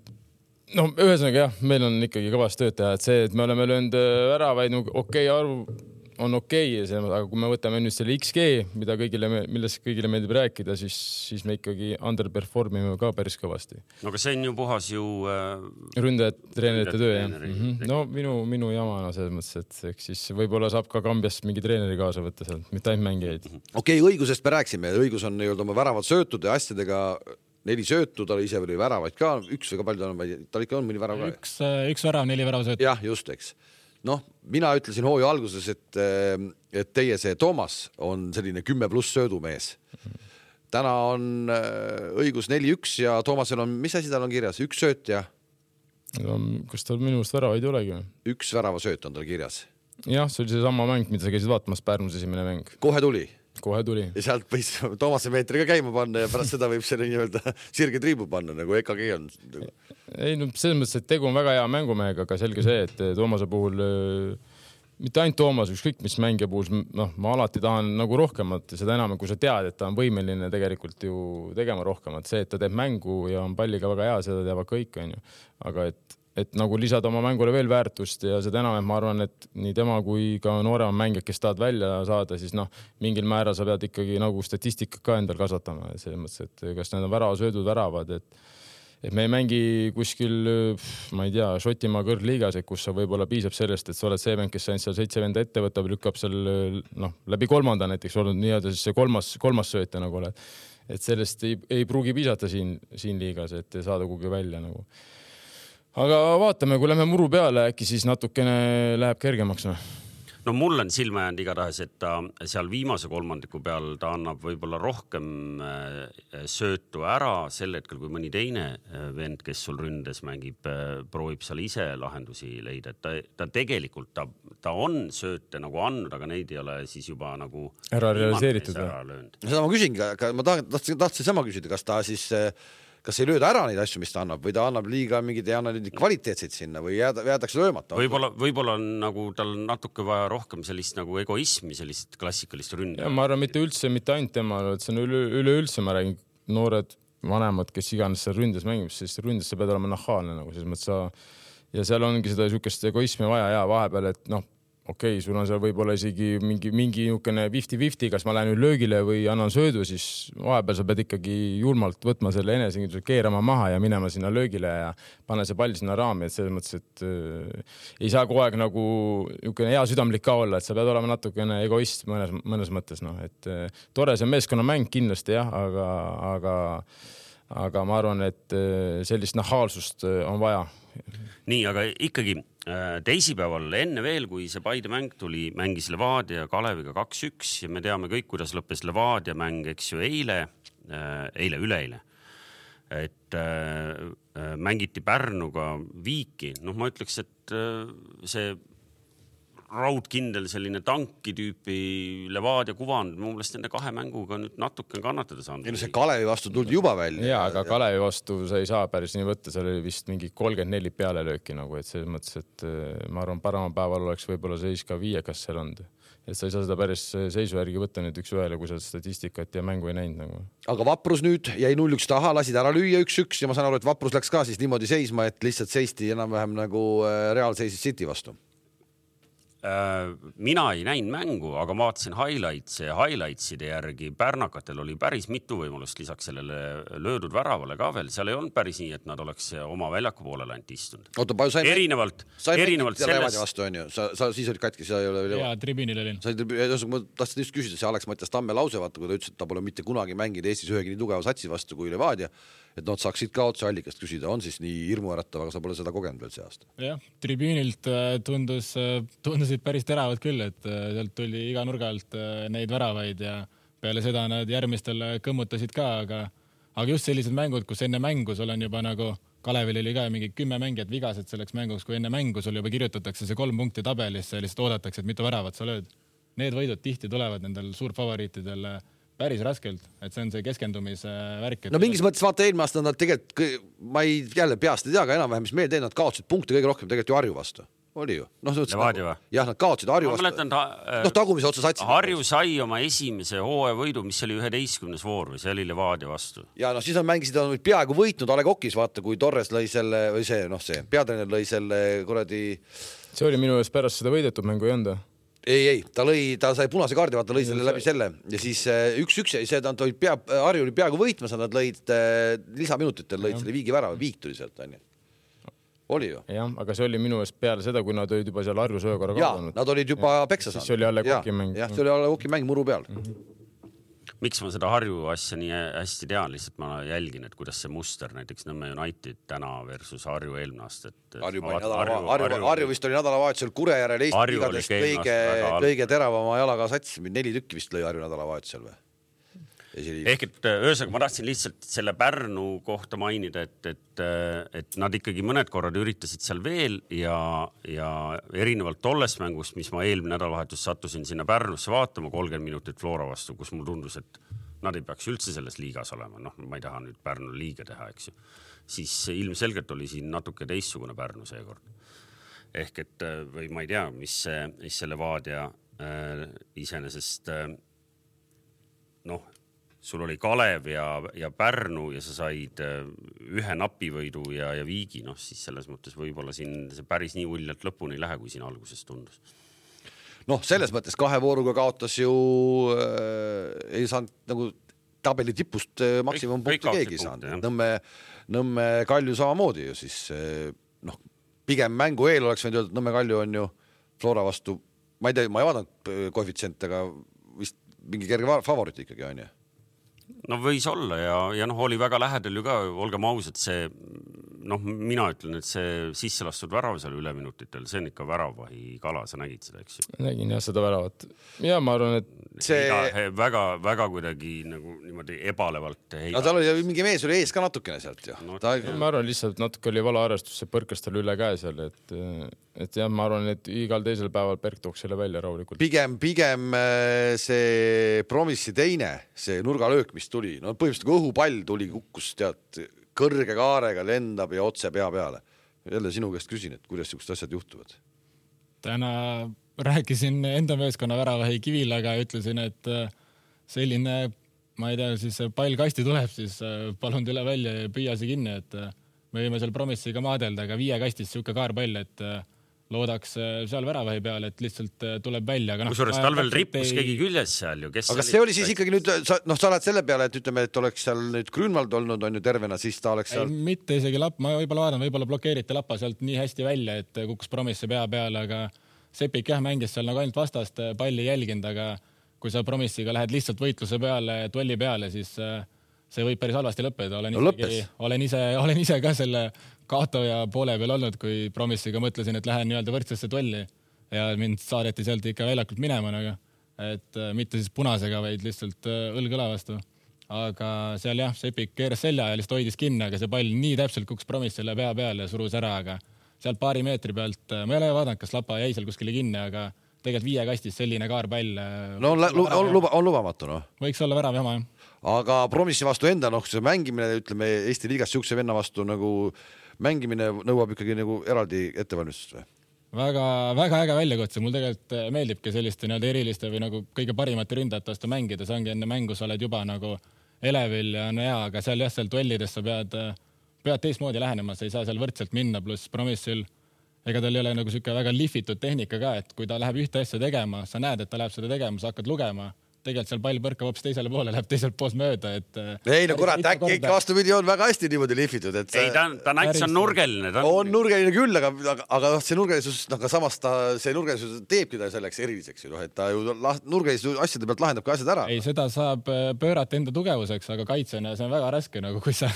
no ühesõnaga jah, meil on ikkagi kõvast tööd teha, et see, et me oleme löönud ära vaid okei okay, arvu on okei okay,, aga kui me võtame nüüd selle X G, mida kõigile, millest kõigile meeldib rääkida, siis, siis me ikkagi underperformime ka päris kõvasti. No aga see on ju puhas ju... Äh... Ründajad, treenerite töö, jah. Mm-hmm. No minu, minu jamana selles mõttes, et eks siis võib-olla saab ka Kambiast mingi treeneri kaasa võtta sealt, mitte ainult mängijaid. Okei, okay, õigusest me rääksime. Õigus on nii-öelda oma väravad söötud ja asjadega neli söötu, ta ise oli väravaid ka, üks või ka palju ta on, ta ikka on mõni värav ka. Üks, üks värav, neli värav söötu. Jah, just, eks. Noh, mina ütlesin hooju alguses, et, et teie see Toomas on selline kümme pluss söödumees. Täna on õigus neli üks ja Toomasel on, mis asi tal on kirjas? Üks sööt ja... No, kas tal minu arust väravaid ei olegi? Üks värava sööt on tal kirjas. Jah, see oli see sama mäng, mida sa käisid vaatamas Pärnus esimene mäng. Kohe tuli? kohe tuli. Ja sealt võis Toomase meetri ka käima panna ja pärast seda võib selle nii-öelda sirge triibu panna, nagu E K G on. Ei, no selles mõttes, et tegu on väga hea mängumehega, aga selge see, et Toomase puhul, mitte ainult Toomas, ükskõik mis mängija puhul, noh, ma alati tahan nagu rohkemat ja seda enam, kui sa tead, et ta on võimeline tegelikult ju tegema rohkemat. See, et ta teeb mängu ja on palliga väga hea, seda teavad kõik, on ju. Aga et et nagu lisada oma mängule veel väärtust ja seda enam, et ma arvan, et nii tema kui ka noorema mängijad, kes tahad välja saada, siis noh, mingil määral sa pead ikkagi nagu statistikat ka endal kasvatama. Selles mõttes, et kas need on värava söödud väravad, et, et me ei mängi kuskil, ma ei tea, Šotimaa kõrgliigas, kus sa võib-olla piisab sellest, et sa oled see mäng, kes ainult seal seitse venda ette võtab, lükkab seal noh, läbi kolmanda näiteks olnud nii-öelda siis see kolmas, kolmas sööte nagu oled. Et sellest ei, ei pruugi piisata siin, siin liigas, et saada kuhugi välja nagu. Aga vaatame, kui lähme muru peale, äkki siis natukene läheb kergemaks. No, no mul on silma jäänud igatahes, et ta seal viimase kolmandiku peal ta annab võib-olla rohkem söötu ära sel hetkel, kui mõni teine vend, kes sul ründes mängib, proovib seal ise lahendusi leida. Et ta, ta tegelikult ta, ta on sööte nagu andnud, aga neid ei ole siis juba nagu ära realiseeritud. Seda ma küsingi, aga ma tahtsin, tahtsin sama küsida, kas ta siis kas ei lööda ära neid asju, mis ta annab, või ta annab liiga mingid ja annab kvaliteetseid sinna või jäädakse löömata? Võib-olla, võib-olla on nagu tal natuke vaja rohkem sellist nagu egoismi, sellist klassikalist ründa. Ma arvan, mitte üldse, mitte ainult tema, et see on üle, üle üldse, ma räägin noored vanemad, kes iganes seal ründes mängib, siis ründes sa pead olema nahaalne nagu selles mõttes sa ja seal ongi seda sükest egoismi vaja ja vahepeal, et noh, okei, okay, sul on seal võib-olla isegi mingi, mingi niisugune fifty fifty, kas ma lähen nüüd löögile või annan söödu, siis vahepeal sa pead ikkagi julmalt võtma selle enese keerama maha ja minema sinna löögile ja panna see pall sinna raami, et selles mõttes, et äh, ei saa kogu aeg nagu niisugune hea südamlik ka olla, et sa pead olema natukene egoist mõnes, mõnes mõttes, noh, et äh, tore see meeskonnamäng kindlasti jah, aga, aga, aga ma arvan, et äh, sellist nahaalsust äh, on vaja. Nii, aga ikkagi teisipäeval enne veel, kui see Paide mäng tuli, mängis Levadia Kaleviga kaks üks ja me teame kõik, kuidas lõppes Levadia mäng, eks ju, eile, eile, üleeile. Et äh, mängiti Pärnuga Viiki. Noh, ma ütleks, et äh, see raudkindel selline tanki tüüpi Levadia kuvand, mu meelest nende kahe mänguga nüüd natuke kannatada saanud. Ja see Kalevi vastu tuldi juba välja. Ja, aga Kalevi vastu sa ei saa päris nii võtta, seal oli vist mingi kolmkümmend neli peale lööki nagu, et selles mõttes, et ma arvan, parema päeval oleks võib-olla seis ka viie, kas seal on. Et sa ei saa seda päris seisu järgi võtta nüüd üks ühele, kui sa statistikat ja mängu ei näinud nagu. Aga Vaprus nüüd jäi null üks taha, lasid ära lüüa üks üks ja ma saan aru, et Vaprus läks ka siis niimoodi seisma, et lihtsalt seisti enam-vähem nagu Real seisis City vastu. Mina ei näinud mängu, aga ma vaatasin highlights ja highlightside järgi Pärnakatel oli päris mitu võimalust lisaks sellele löödud väravale ka veel. Seal ei olnud päris nii, et nad oleks oma väljaku poolele ainult istunud. Oota, palju sai erinevalt, erinevalt selles... vastu, on ju? Sa, sa siis olid katki, sa ei ole... Jaa, tribüünil olin. Ma tahtsin just küsida, see Alex Mattias Tamme lause, vaata, kui ta ütles, et ta pole mitte kunagi mänginud Eestis ühegi nii tugeva satsi vastu kui Levadia, et nad saaksid ka otse allikast küsida, on siis nii hirmuäratav, aga sa pole seda kogenud veel see aasta. Jah, tribüünilt tundus, tundusid päris teravad küll, et sealt tuli iga nurga alt neid väravaid ja peale seda nad järgmistel kõmmutasid ka, aga, aga just sellised mängud, kus enne mängu sul on juba nagu Kalevil oli ka mingi kümme mängijat vigased selleks mänguks, kui enne mängu sul juba kirjutatakse see kolm punkti tabelisse ja lihtsalt oodatakse, et mitu väravat sa lööd. Need võidud tihti tulevad nendel suurfavoriitidel päris raskelt, et see on see keskendumise värk. No mingis mõttes vaata eelmine aasta nad tegelikult, ma ei jälle peast ei tea, aga enam-vähem, mis meil teed, nad kaotsid punkte kõige rohkem tegelikult ju Harju vastu. Oli ju? No, Levadia või? Jah, nad kaotsid Harju vastu. Mäletan, ta, no, tagumise otsa satsi. Harju sai oma esimese hooaja võidu, mis oli üheteistkümnes voor või see oli Levadia vastu. Ja no siis on mängisid, on peaaegu võitnud A Le Coq'is, vaata, kui Torres lõi selle, või see, noh see, peatreener lõi selle kuradi... See oli minu eest pärast seda võidetud mängu ei onda. Ei, ei, ta lõi, ta sai punase kaardi, vaata, lõi selle läbi selle ja siis üks üks, see ta oli pea, Harju oli peaaegu võitmas, nad lõid lisaminutitel, lõid selle viigi värava, viik tuli sealt, on ju. Oli ju? Jah, aga see oli minu eest peale seda, kui nad olid juba seal Harju söökorra kaotanud. Jaa, nad olid juba peksa saanud. See oli A Le Coq'i mäng. Jah, see oli A Le Coq'i mäng muru peal. Mm-hmm. Miks ma seda Harju asja nii hästi tean, lihtsalt ma jälgin, et kuidas see muster näiteks Nõmme United täna versus Harju eelmine aasta. Harju, Harju, Harju, Harju vist oli nädalavahetusel Kurejärel Eesti igadest kõige, kõige teravama jalaga sats, neli tükki vist lõi Harju nädalavahetusel või? ehk et öösega ma tahtsin lihtsalt selle Pärnu kohta mainida, et, et, et nad ikkagi mõned korrad üritasid seal veel ja, ja erinevalt tollest mängust, mis ma eelmine nädalavahetus sattusin sinna Pärnusse vaatama kolmkümmend minutit Flora vastu, kus mul tundus, et nad ei peaks üldse selles liigas olema. Noh, ma ei taha nüüd Pärnu liiga teha, eks ju. Siis ilmselgelt oli siin natuke teistsugune Pärnu seekord. Ehk et, või ma ei tea, mis, see, mis selle Vaadia äh, iseenesest äh, noh, sul oli Kalev ja, ja Pärnu ja sa said ühe napivõidu ja, ja viigi, noh siis selles mõttes võib-olla siin see päris nii uljalt lõpuni ei lähe, kui siin alguses tundus. Noh, selles mõttes kahe vooruga kaotas ju äh, ei saanud nagu tabeli tipust äh, maksimumpunkti keegi saanud. Nõmme, Nõmme Kalju samamoodi ju siis äh, noh, pigem mängu eel oleks võinud öelda, et Nõmme Kalju on ju Flora vastu, ma ei tea, ma ei vaadanud koefitsient, aga vist mingi kerge favorit ikkagi on ju. No võis olla ja, ja noh, oli väga lähedal ju ka, olgem ausad, see, noh, mina ütlen, et see sisse lastud värav seal üle minutitel, see on ikka väravahi kala, sa nägid seda, eks ju? Nägin jah seda väravat. Ja ma arvan, et see Iga, väga, väga kuidagi nagu niimoodi ebalevalt heida. No tal oli mingi mees oli ees ka natukene sealt ju. No, ta... Ma arvan, lihtsalt natuke oli valaarvestus, see põrkas tal üle käe seal, et, et jah, ma arvan, et igal teisel päeval Berk tooks selle välja rahulikult. Pigem, pigem see Promissi teine, see nurgalöök, mis tuli, no põhimõtteliselt kui õhupall tuli, kukkus tead kõrge kaarega, lendab ja otse pea peale. Jälle sinu käest küsin, et kuidas siuksed asjad juhtuvad? Täna rääkisin enda meeskonna väravahi Kivilaga ja ütlesin, et selline, ma ei tea, siis pall kasti tuleb, siis palun tule välja ja püüa see kinni, et me võime seal Promissiga maadelda, aga viie kastis siuke kaarpall, et loodaks seal väravahi peale, et lihtsalt tuleb välja. No, kusjuures tal veel rippus ei... keegi küljes seal ju. Kes aga see oli siis ikkagi nüüd, noh, sa oled selle peale, et ütleme, et oleks seal nüüd Grünwald olnud, on ju tervena, siis ta oleks seal... Ei, mitte isegi lapp, ma võib-olla vaatan, võib-olla blokeerite lappa sealt nii hästi välja, et kukkus Promissi pea peale, aga Sepik jah mängis seal nagu ainult vastast palli jälginud, aga kui sa Promissiga lähed lihtsalt võitluse peale, duelli peale, siis see võib päris halvasti lõppeda. Olen, no, isegi, olen, ise, olen ise ka selle kaotaja poole peal olnud, kui Promissiga mõtlesin, et lähen nii-öelda võrdsesse duelli ja mind saadeti sealt ikka väljakult minema, aga et mitte siis punasega, vaid lihtsalt õlgõla vastu. Aga seal jah, Sepik keeras selja ja lihtsalt hoidis kinni, aga see pall nii täpselt kuks Promissile pea peale ja surus ära, aga sealt paari meetri pealt, ma ei ole vaadanud, kas lapa jäi seal kuskile kinni, aga tegelikult viie kastis selline kaarpall. No on, on, luba, on lubamatu, noh. Võiks olla värav jama, jah. Aga Promissi vastu enda, noh, see mängimine, ütleme, Eesti liigas siukse venna vastu nagu mängimine nõuab ikkagi nagu eraldi ettevalmistust või? Väga, väga äge väljakutse. Mul tegelikult meeldibki selliste nii-öelda eriliste või nagu kõige parimate ründajate vastu mängida. See ongi enne mängu, sa oled juba nagu elevil ja on hea, aga seal jah, seal duellides sa pead, pead teistmoodi lähenema, sa ei saa seal võrdselt minna, pluss Promissil ega tal ei ole nagu siuke väga lihvitud tehnika ka, et kui ta läheb ühte asja tegema, sa näed, et ta läheb seda tegema, sa hakkad lugema. Tegelikult seal pall põrkab hoopis teisele poole, läheb teiselt poolt mööda, et ei, no kurat, äkki ikka vastupidi on väga hästi niimoodi lihvitud, et ei, ta, ta näits on nurgeline. Ta on nurgeline küll, aga, aga, aga see nurgelisus, no ka samas ta, see nurgelisus teebki ta selleks eriliseks, noh, et ta ju nurgelisus asjade pealt lahendab ka asjad ära. Ei, seda saab pöörata enda tugevuseks, aga kaitsena see on väga raske, nagu kui sa,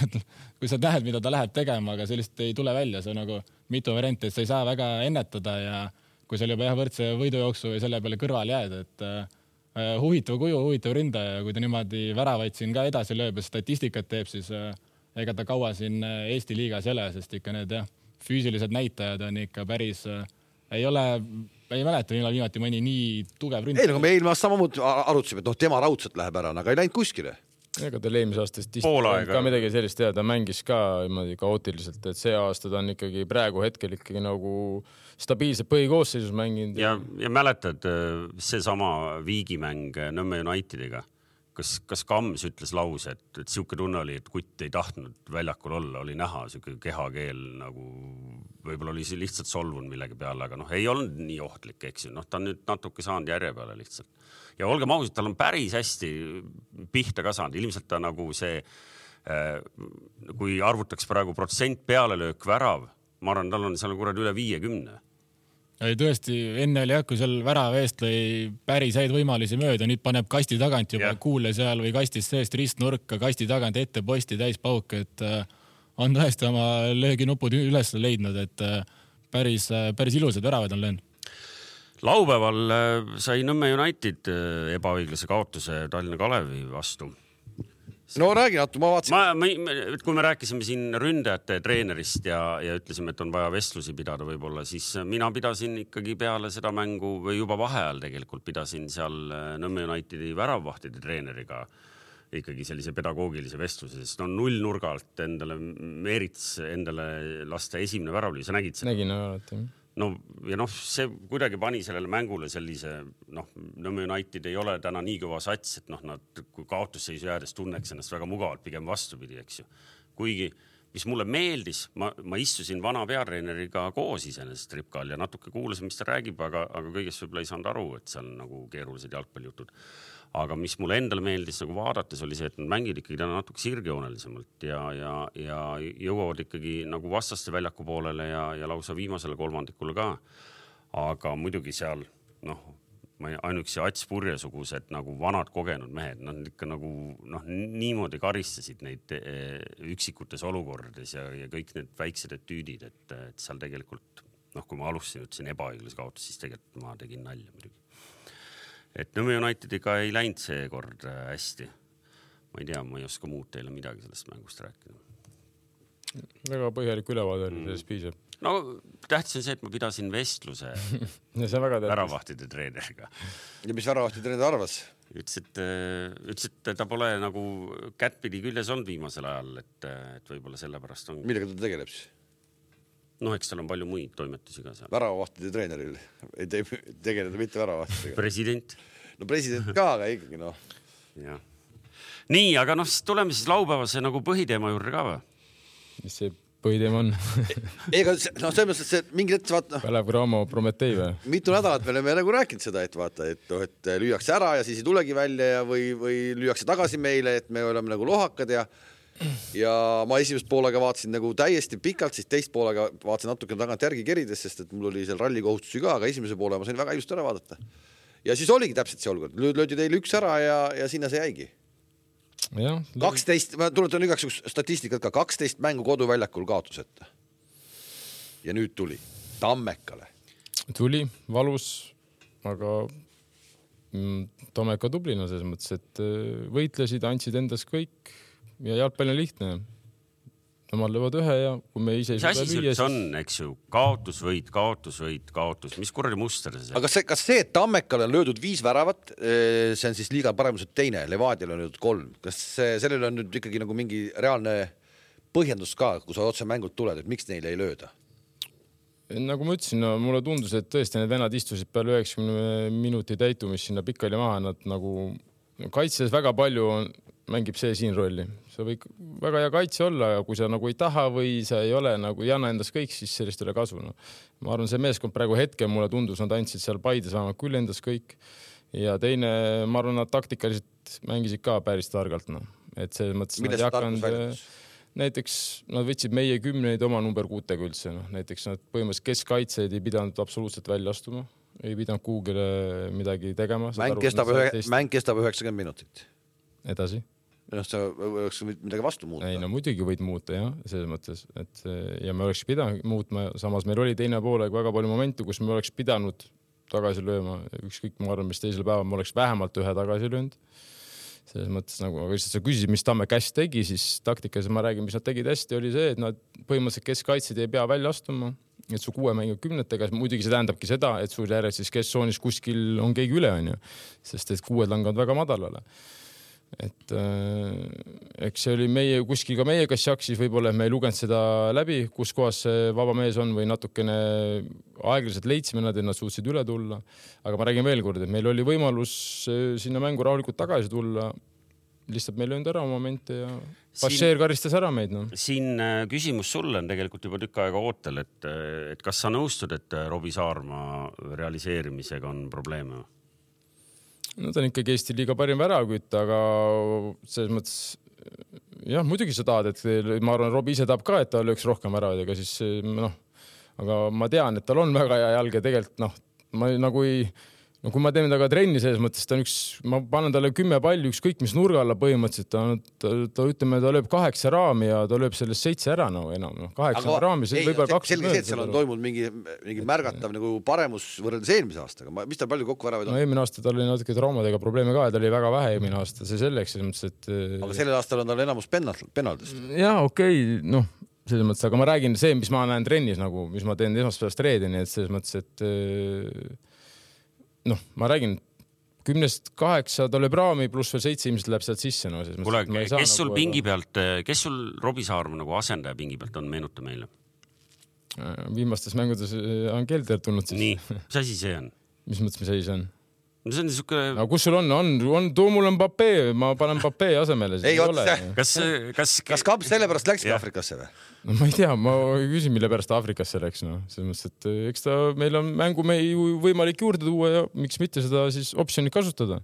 kui sa näed, mida ta läheb tegema, aga sellist ei tule välja, see on nagu mitu varianti, et sa ei saa väga ennetada ja kui seal juba jah, võrdse võidujooksu või selle peale kõrval jääd, et huvitav kuju, huvitav ründaja ja kui ta niimoodi väravaid siin ka edasi lööb ja statistikat teeb, siis ega ta kaua siin Eesti liigas ei ole, sest ikka need jah, füüsilised näitajad on ikka päris, ei ole, ei mäleta, millal viimati mõni nii tugev ründaja. Ei, nagu me eelmast samamoodi arutasime, et noh, tema raudselt läheb ära, aga ei läinud kuskile. Ega tal eelmise aastast ka midagi sellist teha, ta mängis ka kaootiliselt, et see aasta ta on ikkagi praegu hetkel ikkagi nagu stabiilselt põhikoosseisus mänginud. Ja, ja mäletad see sama viigimäng Nõmme Unitediga, kas, kas Kams ütles lause, et, et siuke tunne oli, et kutt ei tahtnud väljakul olla, oli näha siuke kehakeel nagu võib-olla oli see lihtsalt solvun millegi peale, aga noh, ei olnud nii ohtlik, eks ju, noh, ta on nüüd natuke saanud järje peale lihtsalt. Ja olgem ausad, tal on päris hästi pihta ka saanud. Ilmselt ta nagu see, kui arvutaks praegu protsent pealelöök värav, ma arvan, tal on seal kurad üle viiekümne. Ei, tõesti, enne oli jah, kui seal värava eest lõi päris häid võimalusi mööda, nüüd paneb kasti tagant juba yeah. kuule seal või kastis seest ristnurka, kasti tagant ette posti täis pauk, et on tõesti oma lööginupud üles leidnud, et päris, päris ilusad väravad on löönud. Laupäeval sai Nõmme United ebaõiglase kaotuse Tallinna Kalevi vastu no räägi natuke, ma vaatasin. Ma, ma, kui me rääkisime siin ründajate treenerist ja, ja ütlesime, et on vaja vestlusi pidada võib-olla, siis mina pidasin ikkagi peale seda mängu või juba vaheajal tegelikult pidasin seal Nõmme Unitedi väravvahtide treeneriga ikkagi sellise pedagoogilise vestluse, sest on null nurgalt endale Meerits endale lasta esimene väravlüü, sa nägid seda? Nägin alati. No ja noh, see kuidagi pani sellele mängule sellise, noh, Nõmme United ei ole täna nii kõva sats, et noh, nad kui kaotusseisu jäädes tunneks ennast väga mugavalt, pigem vastupidi, eks ju. Kuigi, mis mulle meeldis, ma, ma istusin vana peatreeneriga koos iseenesest Ripkal ja natuke kuulasin, mis ta räägib, aga, aga kõigest võib-olla ei saanud aru, et seal nagu keerulised jalgpallijutud. Aga mis mulle endale meeldis nagu vaadates oli see, et nad mängid ikkagi täna natuke sirgjoonelisemalt ja, ja, ja jõuavad ikkagi nagu vastaste väljaku poolele ja, ja lausa viimasele kolmandikule ka. Aga muidugi seal, noh, ainuüksi Ats Purjesugused nagu vanad kogenud mehed, nad ikka nagu noh, niimoodi karistasid neid üksikutes olukordades ja, ja kõik need väiksed etüüdid, et, et seal tegelikult, noh, kui ma alustasin, ütlesin ebaõiglase kaotus, siis tegelikult ma tegin nalja muidugi. Et Nõmme Unitediga ei läinud see kord hästi. Ma ei tea, ma ei oska muud teile midagi sellest mängust rääkida. Väga põhjalik ülevaade oli, sellest piisab. No tähtis on see, et ma pidasin vestluse väravvahtide treeneriga. Ja mis väravvahtide treener arvas? Ütles, et, ütles, et ta pole nagu kättpidi küljes olnud viimasel ajal, et, et võib-olla sellepärast on... Millega ta tegeleb siis? No eks tal on palju muid toimetusi ka seal. Väravvahtide treeneril ei te tegeleda mitte väravvahtidega. President. No president ka, aga ikkagi noh. Ja. Nii, aga noh, tuleme siis laupäevase nagu põhiteema juurde ka või? Mis see põhiteema on? Ega no selles mõttes, et see mingi hetk vaata... Kalev Cramo Prometei või? Mitu nädalat me oleme nagu rääkinud seda, et vaata, et, no, et lüüakse ära ja siis ei tulegi välja ja või, või lüüakse tagasi meile, et me oleme nagu lohakad ja ja ma esimest poolega vaatasin nagu täiesti pikalt, siis teist poolega vaatasin natuke tagant järgi kerides, sest et mul oli seal ralli kohustusi ka, aga esimese poole ma sain väga ilusti ära vaadata. Ja siis oligi täpselt see olukord. Löödi teil üks ära ja, ja sinna see jäigi. Ja, kaksteist, ma tuletan igaks statistikat ka, kaksteist mängu koduväljakul kaotuseta. Ja nüüd tuli Tammekale. Tuli, valus, aga Tammeka tublina selles mõttes, et võitlesid, andsid endas kõik. Ja jalgpall on lihtne. Nemad löövad ühe ja kui me ise... Mis asi see on, eks ju? Kaotus, võit, kaotus, võit, kaotus. Mis kuradi muster see? Aga see, kas see, et Tammekale on löödud viis väravat, see on siis liiga paremuselt teine, Levadial on löödud kolm. Kas sellel on nüüd ikkagi nagu mingi reaalne põhjendus ka, kui sa otse mängult tuled, et miks neile ei lööda? Nagu ma ütlesin, no, mulle tundus, et tõesti need venad istusid peale üheksakümne minuti täitumist sinna pikali maha, nad nagu kaitses väga palju on, mängib see siin rolli. See võib väga hea kaitse olla, ja kui sa nagu ei taha või sa ei ole nagu ei anna endas kõik, siis sellest ei ole kasu. No. Ma arvan, see meeskond praegu hetkel mulle tundus, nad andsid seal Paides vähemalt küll endas kõik. Ja teine, ma arvan, nad taktikaliselt mängisid ka päris targalt. No. Et see mõttes, nad jakanud, näiteks nad võtsid meie kümneid oma number kuutega üldse. No. Näiteks nad põhimõtteliselt keskkaitseid ei pidanud absoluutselt välja astuma. Ei pidanud kuugile midagi tegema. Mäng kestab, ühe, mäng kestab üheksakümmend minutit. Edasi. No, sa oleks midagi vastu muuta. Ei, no muidugi võid muuta, jah, selles mõttes. Et, ja me oleks pidanud muutma. Samas meil oli teine poole väga palju momentu, kus me oleks pidanud tagasi lööma. Ükskõik, ma arvan, mis teisel päeval me oleks vähemalt ühe tagasi löönud. Selles mõttes, nagu, aga lihtsalt sa küsisid, mis Tamme käest tegi, siis taktikas ma räägin, mis nad tegid hästi, oli see, et nad põhimõtteliselt keskkaitsid ei pea välja astuma. Et su kuue mängu kümnetega, muidugi see tähendabki seda, et sul järjest siis kesksoonis kuskil on keegi üle, on ju. Sest et kuued langavad väga madalale. Et äh, eks see oli meie, kuskil ka meie kas jaksis võib-olla, et me ei lugenud seda läbi, kus kohas see vaba mees on või natukene aeglaselt leidsime nad, et nad suutsid üle tulla. Aga ma räägin veel kord, et meil oli võimalus sinna mängu rahulikult tagasi tulla. Lihtsalt meil löönud ära momente ja Passeer karistas ära meid. No. Siin küsimus sulle on tegelikult juba tükk aega ootel, et, et kas sa nõustud, et Robbie Saarma realiseerimisega on probleeme? No ta on ikkagi Eesti liiga parim väravkütt, aga selles mõttes, jah, muidugi sa tahad, et ma arvan, Robbie ise tahab ka, et ta lööks rohkem väravad, ega siis, noh, aga ma tean, et tal on väga hea jalg ja tegelikult, noh, ma nagu ei, no kui ma teen taga trenni selles mõttes, ta on üks, ma panen talle kümme palli, üks kõik, mis nurga alla põhimõtteliselt, ta, ta, ta ütleme, ta lööb kaheksa raami ja ta lööb sellest seitse ära no, enam. No, kaheksa aga, raami, see võib olla kaks. Selge see, et seal on toimunud mingi, mingi märgatav nagu paremus võrreldes eelmise aastaga. Ma, mis tal palju kokku väravaid on? No eelmine aasta tal oli natuke traumadega probleeme ka ja ta oli väga vähe eelmine aasta. See selleks, selles mõttes, et... Aga sellel aastal on tal enamus penaldist. Jaa, okei, okay, noh, selles mõttes, aga ma räägin see, mis ma näen trennis, nagu, mis ma teen esmaspäevast reedeni, et selles mõttes, et noh, ma räägin, kümnest kaheksa ta lööb raami, pluss veel seitse inimesed läheb sealt sisse. No, Kule, kes sul nagu pingi pealt, kes sul Robbie Saarma nagu asendaja pingi pealt on, meenuta meile? Viimastes mängudes on Kelder tulnud siis. Nii, mis asi see on? Mis mõttes, mis asi see on? No see on niisugune... No, kus sul on? On, on too mul on Papee, ma panen Papee asemele. Ei, oot, kas, kas... kas Kamps selle pärast läkski Afrikasse või? No ma ei tea, ma küsin, mille pärast Afrikasse läks. No. Selles mõttes, et eks ta, meil on mängu me võimalik juurde tuua ja miks mitte seda siis optsiooni kasutada.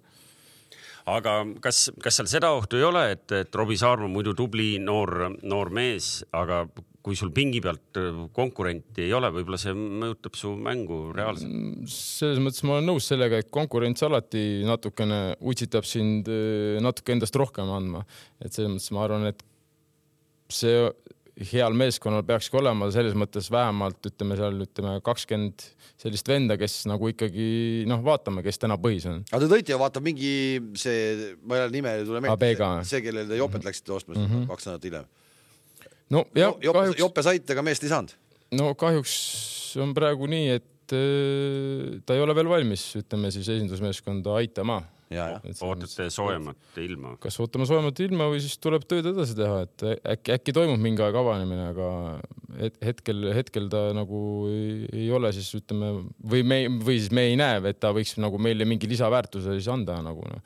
Aga kas, kas seal seda ohtu ei ole, et, et Robbie Saarma muidu tubli noor, noor mees, aga kui sul pingi pealt konkurenti ei ole, võib-olla see mõjutab su mängu reaalselt? Selles mõttes ma olen nõus sellega, et konkurents alati natukene utsitab sind natuke endast rohkem andma. Et selles mõttes ma arvan, et see heal meeskonnal peakski olema selles mõttes vähemalt, ütleme seal, ütleme kakskümmend sellist venda, kes nagu ikkagi, noh, vaatame, kes täna põhis on. Aga te tõite ja vaatab mingi see, ma ei ole nime ei tule meelde, see, kellel te Jopet läksite ostma mm -hmm. kaks nädalat hiljem. No, jah, Jope, kahjuks, Jope saite, aga meest ei saanud. No kahjuks on praegu nii, et äh, ta ei ole veel valmis, ütleme siis esindusmeeskonda aitama. Ja, ja. Ootate soojemat ilma. Kas ootame soojemat ilma või siis tuleb tööd edasi teha, et äkki, äkki toimub mingi aeg avanemine, aga hetkel, hetkel ta nagu ei, ei ole siis, ütleme, või, me, või siis me ei näe, et ta võiks nagu meile mingi lisaväärtuse siis anda nagu no.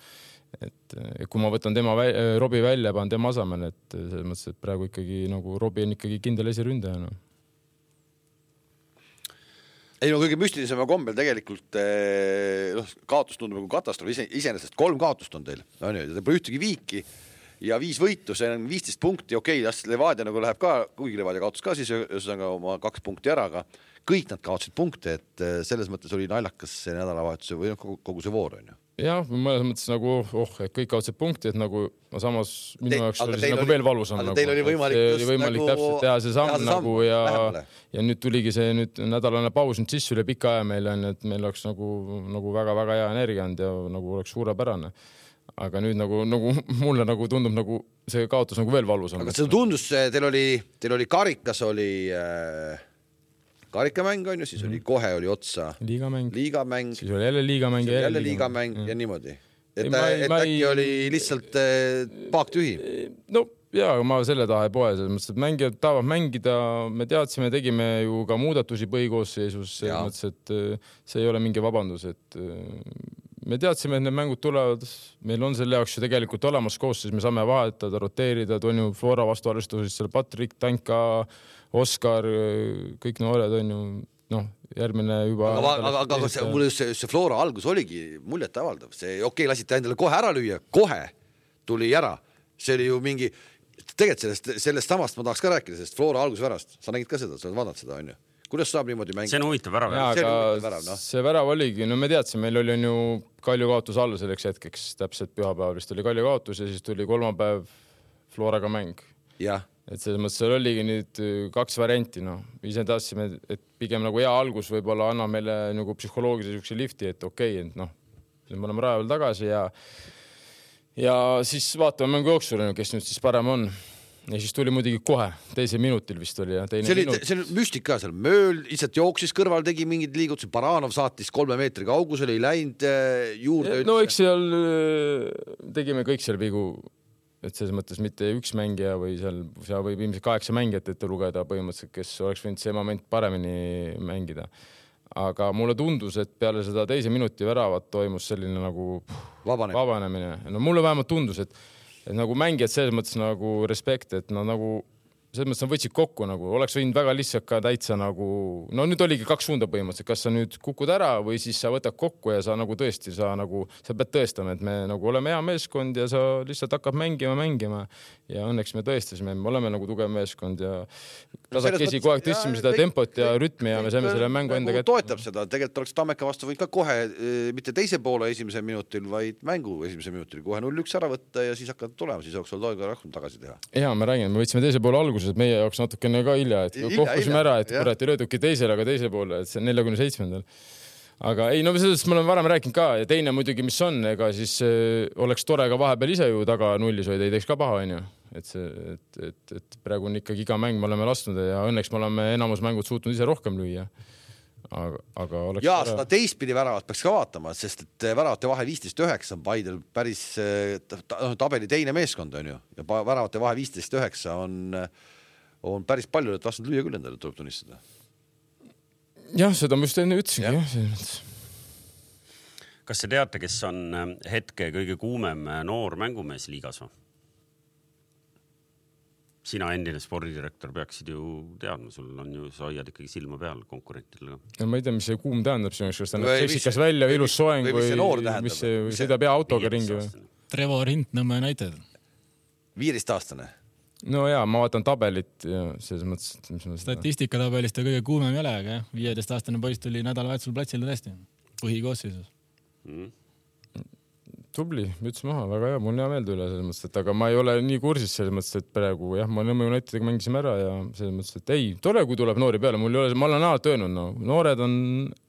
Et kui ma võtan tema vä- Robbie välja, panen tema asemel, et selles mõttes, et praegu ikkagi nagu Robbie on ikkagi kindel esiründaja. No. Ei no kõige müstilisema kombel tegelikult no, kaotus tundub nagu katastroof. Iseenesest kolm kaotust on teil. No, te pole ühtegi viiki ja viis võitu, see on viisteist punkti. Okei, okay, Levadia nagu läheb ka, kuigi Levadia kaotus ka siis ühesõnaga oma kaks punkti ära, aga kõik nad kaotasid punkte, et selles mõttes oli naljakas see nädalavahetuse või kogu see voor on ju. Jah, mõnes mõttes nagu, oh, et kõik kaotsed punkti, et nagu samas minu Te, jaoks oli see nagu oli, veel valusam. Aga nagu, teil oli võimalik, oli võimalik nagu, täpselt teha see samm, teha see nagu samm ja, ja nüüd tuligi see nüüd nädalane paus nüüd sisse üle pika aja meil on, et meil oleks nagu, nagu väga-väga hea energia and ja nagu oleks suurepärane. Aga nüüd nagu, nagu mulle nagu tundub nagu see kaotus nagu veel valusam. Aga see tundus, teil oli, teil oli karikas oli... Äh... karikamäng on ju, siis oli kohe oli otsa liigamäng, liigamäng siis oli jälle liigamäng ja jälle liigamäng ja, ja niimoodi. Et, ei, ma, et ma äkki ei... oli lihtsalt paak tühi. No jaa, ma selle taha ei poe, selles mõttes, et mängijad tahavad mängida, me teadsime, tegime ju ka muudatusi põhikoosseisus, selles mõttes, et see ei ole mingi vabandus, et me teadsime, et need mängud tulevad, meil on selle jaoks ju tegelikult olemas koosseis, me saame vahetada, roteerida, on ju Flora vastu arvestuses seal Patrik, Tanka, Oskar, kõik noored on ju, noh, järgmine juba... Aga, aga, aga, aga see, mulle see, see Flora algus oligi muljet avaldav. See okei, okay, lasite endale kohe ära lüüa, kohe tuli ära. See oli ju mingi... Tegelikult sellest, sellest samast ma tahaks ka rääkida, sest Flora algusvärast. Sa nägid ka seda, sa oled vaadanud seda, on ju? Kuidas saab niimoodi mängida? See on huvitav värav. Jaa, aga see, värav, no. see värav oligi, no me teadsime, meil oli ju Kalju kaotus all selleks hetkeks, täpselt pühapäeval vist oli Kalju kaotus ja siis tuli kolmapäev Floraga mäng. Jah. Et selles mõttes seal oligi nüüd kaks varianti, no. Ise tahtsime, et pigem nagu hea algus võib-olla anna meile nagu psühholoogilise sükse lifti, et okei, okay, et noh, me oleme rajaval tagasi ja ja siis vaatame mängu jooksule, kes nüüd siis parem on. Ja siis tuli muidugi kohe, teise minutil vist oli. Ja teine see oli minut. See müstika seal, Mööl lihtsalt jooksis kõrval, tegi mingid liigutusi, Baranov saatis kolme meetri kaugusele, ei läinud juurde. No eks seal tegime kõik seal vigu, et selles mõttes mitte üks mängija või seal, seal võib ilmselt kaheksa mängijat ette lugeda põhimõtteliselt, kes oleks võinud see moment paremini mängida. Aga mulle tundus, et peale seda teise minuti väravat toimus selline nagu vabanemine. vabanemine. No mulle vähemalt tundus, et, et nagu mängijad selles mõttes nagu respekt, et nad nagu selles mõttes nad võtsid kokku nagu, oleks võinud väga lihtsalt ka täitsa nagu, no nüüd oligi kaks suunda põhimõtteliselt, kas sa nüüd kukud ära või siis sa võtad kokku ja sa nagu tõesti, sa nagu, sa pead tõestama, et me nagu oleme hea meeskond ja sa lihtsalt hakkab mängima, mängima ja õnneks me tõestasime, me oleme nagu tugev meeskond ja tasakesi kogu aeg tõstsime seda tempot ja rütmi ja me saime selle mängu enda kätte. Toetab seda, tegelikult oleks Tammeka vastu võinud ka kohe, mitte teise poole esimese minutil, vaid mängu esimese minutil kohe null üks ära võtta ja siis hakkad tulema, siis oleks olnud aega rohkem tagasi teha. Ja me räägime, me võtsime teise poole alguses, et meie jaoks natukene ka hilja, et kohkusime ära, et kurat ei lööduki teisele, aga teise poole, et see on neljakümne seitsmendal. Aga ei, no sellest me oleme varem rääkinud ka ja teine muidugi, mis on, ega siis äh, oleks tore ka vahepeal ise ju taga nullis hoida, ei teeks ka paha, on ju. Et, see, et, et, et praegu on ikkagi iga mäng me oleme lastnud ja õnneks me oleme enamus mängud suutnud ise rohkem lüüa. Aga, aga oleks ja seda teistpidi väravat peaks ka vaatama, sest et väravate vahe viisteist üheksa on Paidel päris tabeli teine meeskond on ju ja väravate vahe viisteist üheksa on, on päris palju, et vastanud lüüa küll endale tuleb tunnistada. Jah, seda ma just enne ütlesingi. Ja. Kas te teate, kes on hetke kõige kuumem noor mängumees liigas või? Sina endine spordidirektor peaksid ju teadma, sul on ju, sa hoiad ikkagi silma peal konkurentidele. Ja ma ei tea, mis see kuum tähendab sinu, kas ta näeb seksikas välja, ilus soeng või, või mis see, või sõidab hea autoga ringi või? Trevor Hint Nõmme näited. viieteist aastane. No jaa, ma vaatan tabelit ja selles mõttes... Mis Statistikatabelis ta kõige kuumem ei ole, aga viieteist aastane poiss tuli nädalavahetusel platsile tõesti. Põhikoosseisus. Mm. Tubli, müts maha, väga hea, mul on hea meelde üle selles mõttes, et aga ma ei ole nii kursis selles mõttes, et praegu jah, ma Nõmme Unitediga mängisime ära ja selles mõttes, et ei, tore, kui tuleb noori peale, mul ei ole, ma olen alati öelnud, no, noored on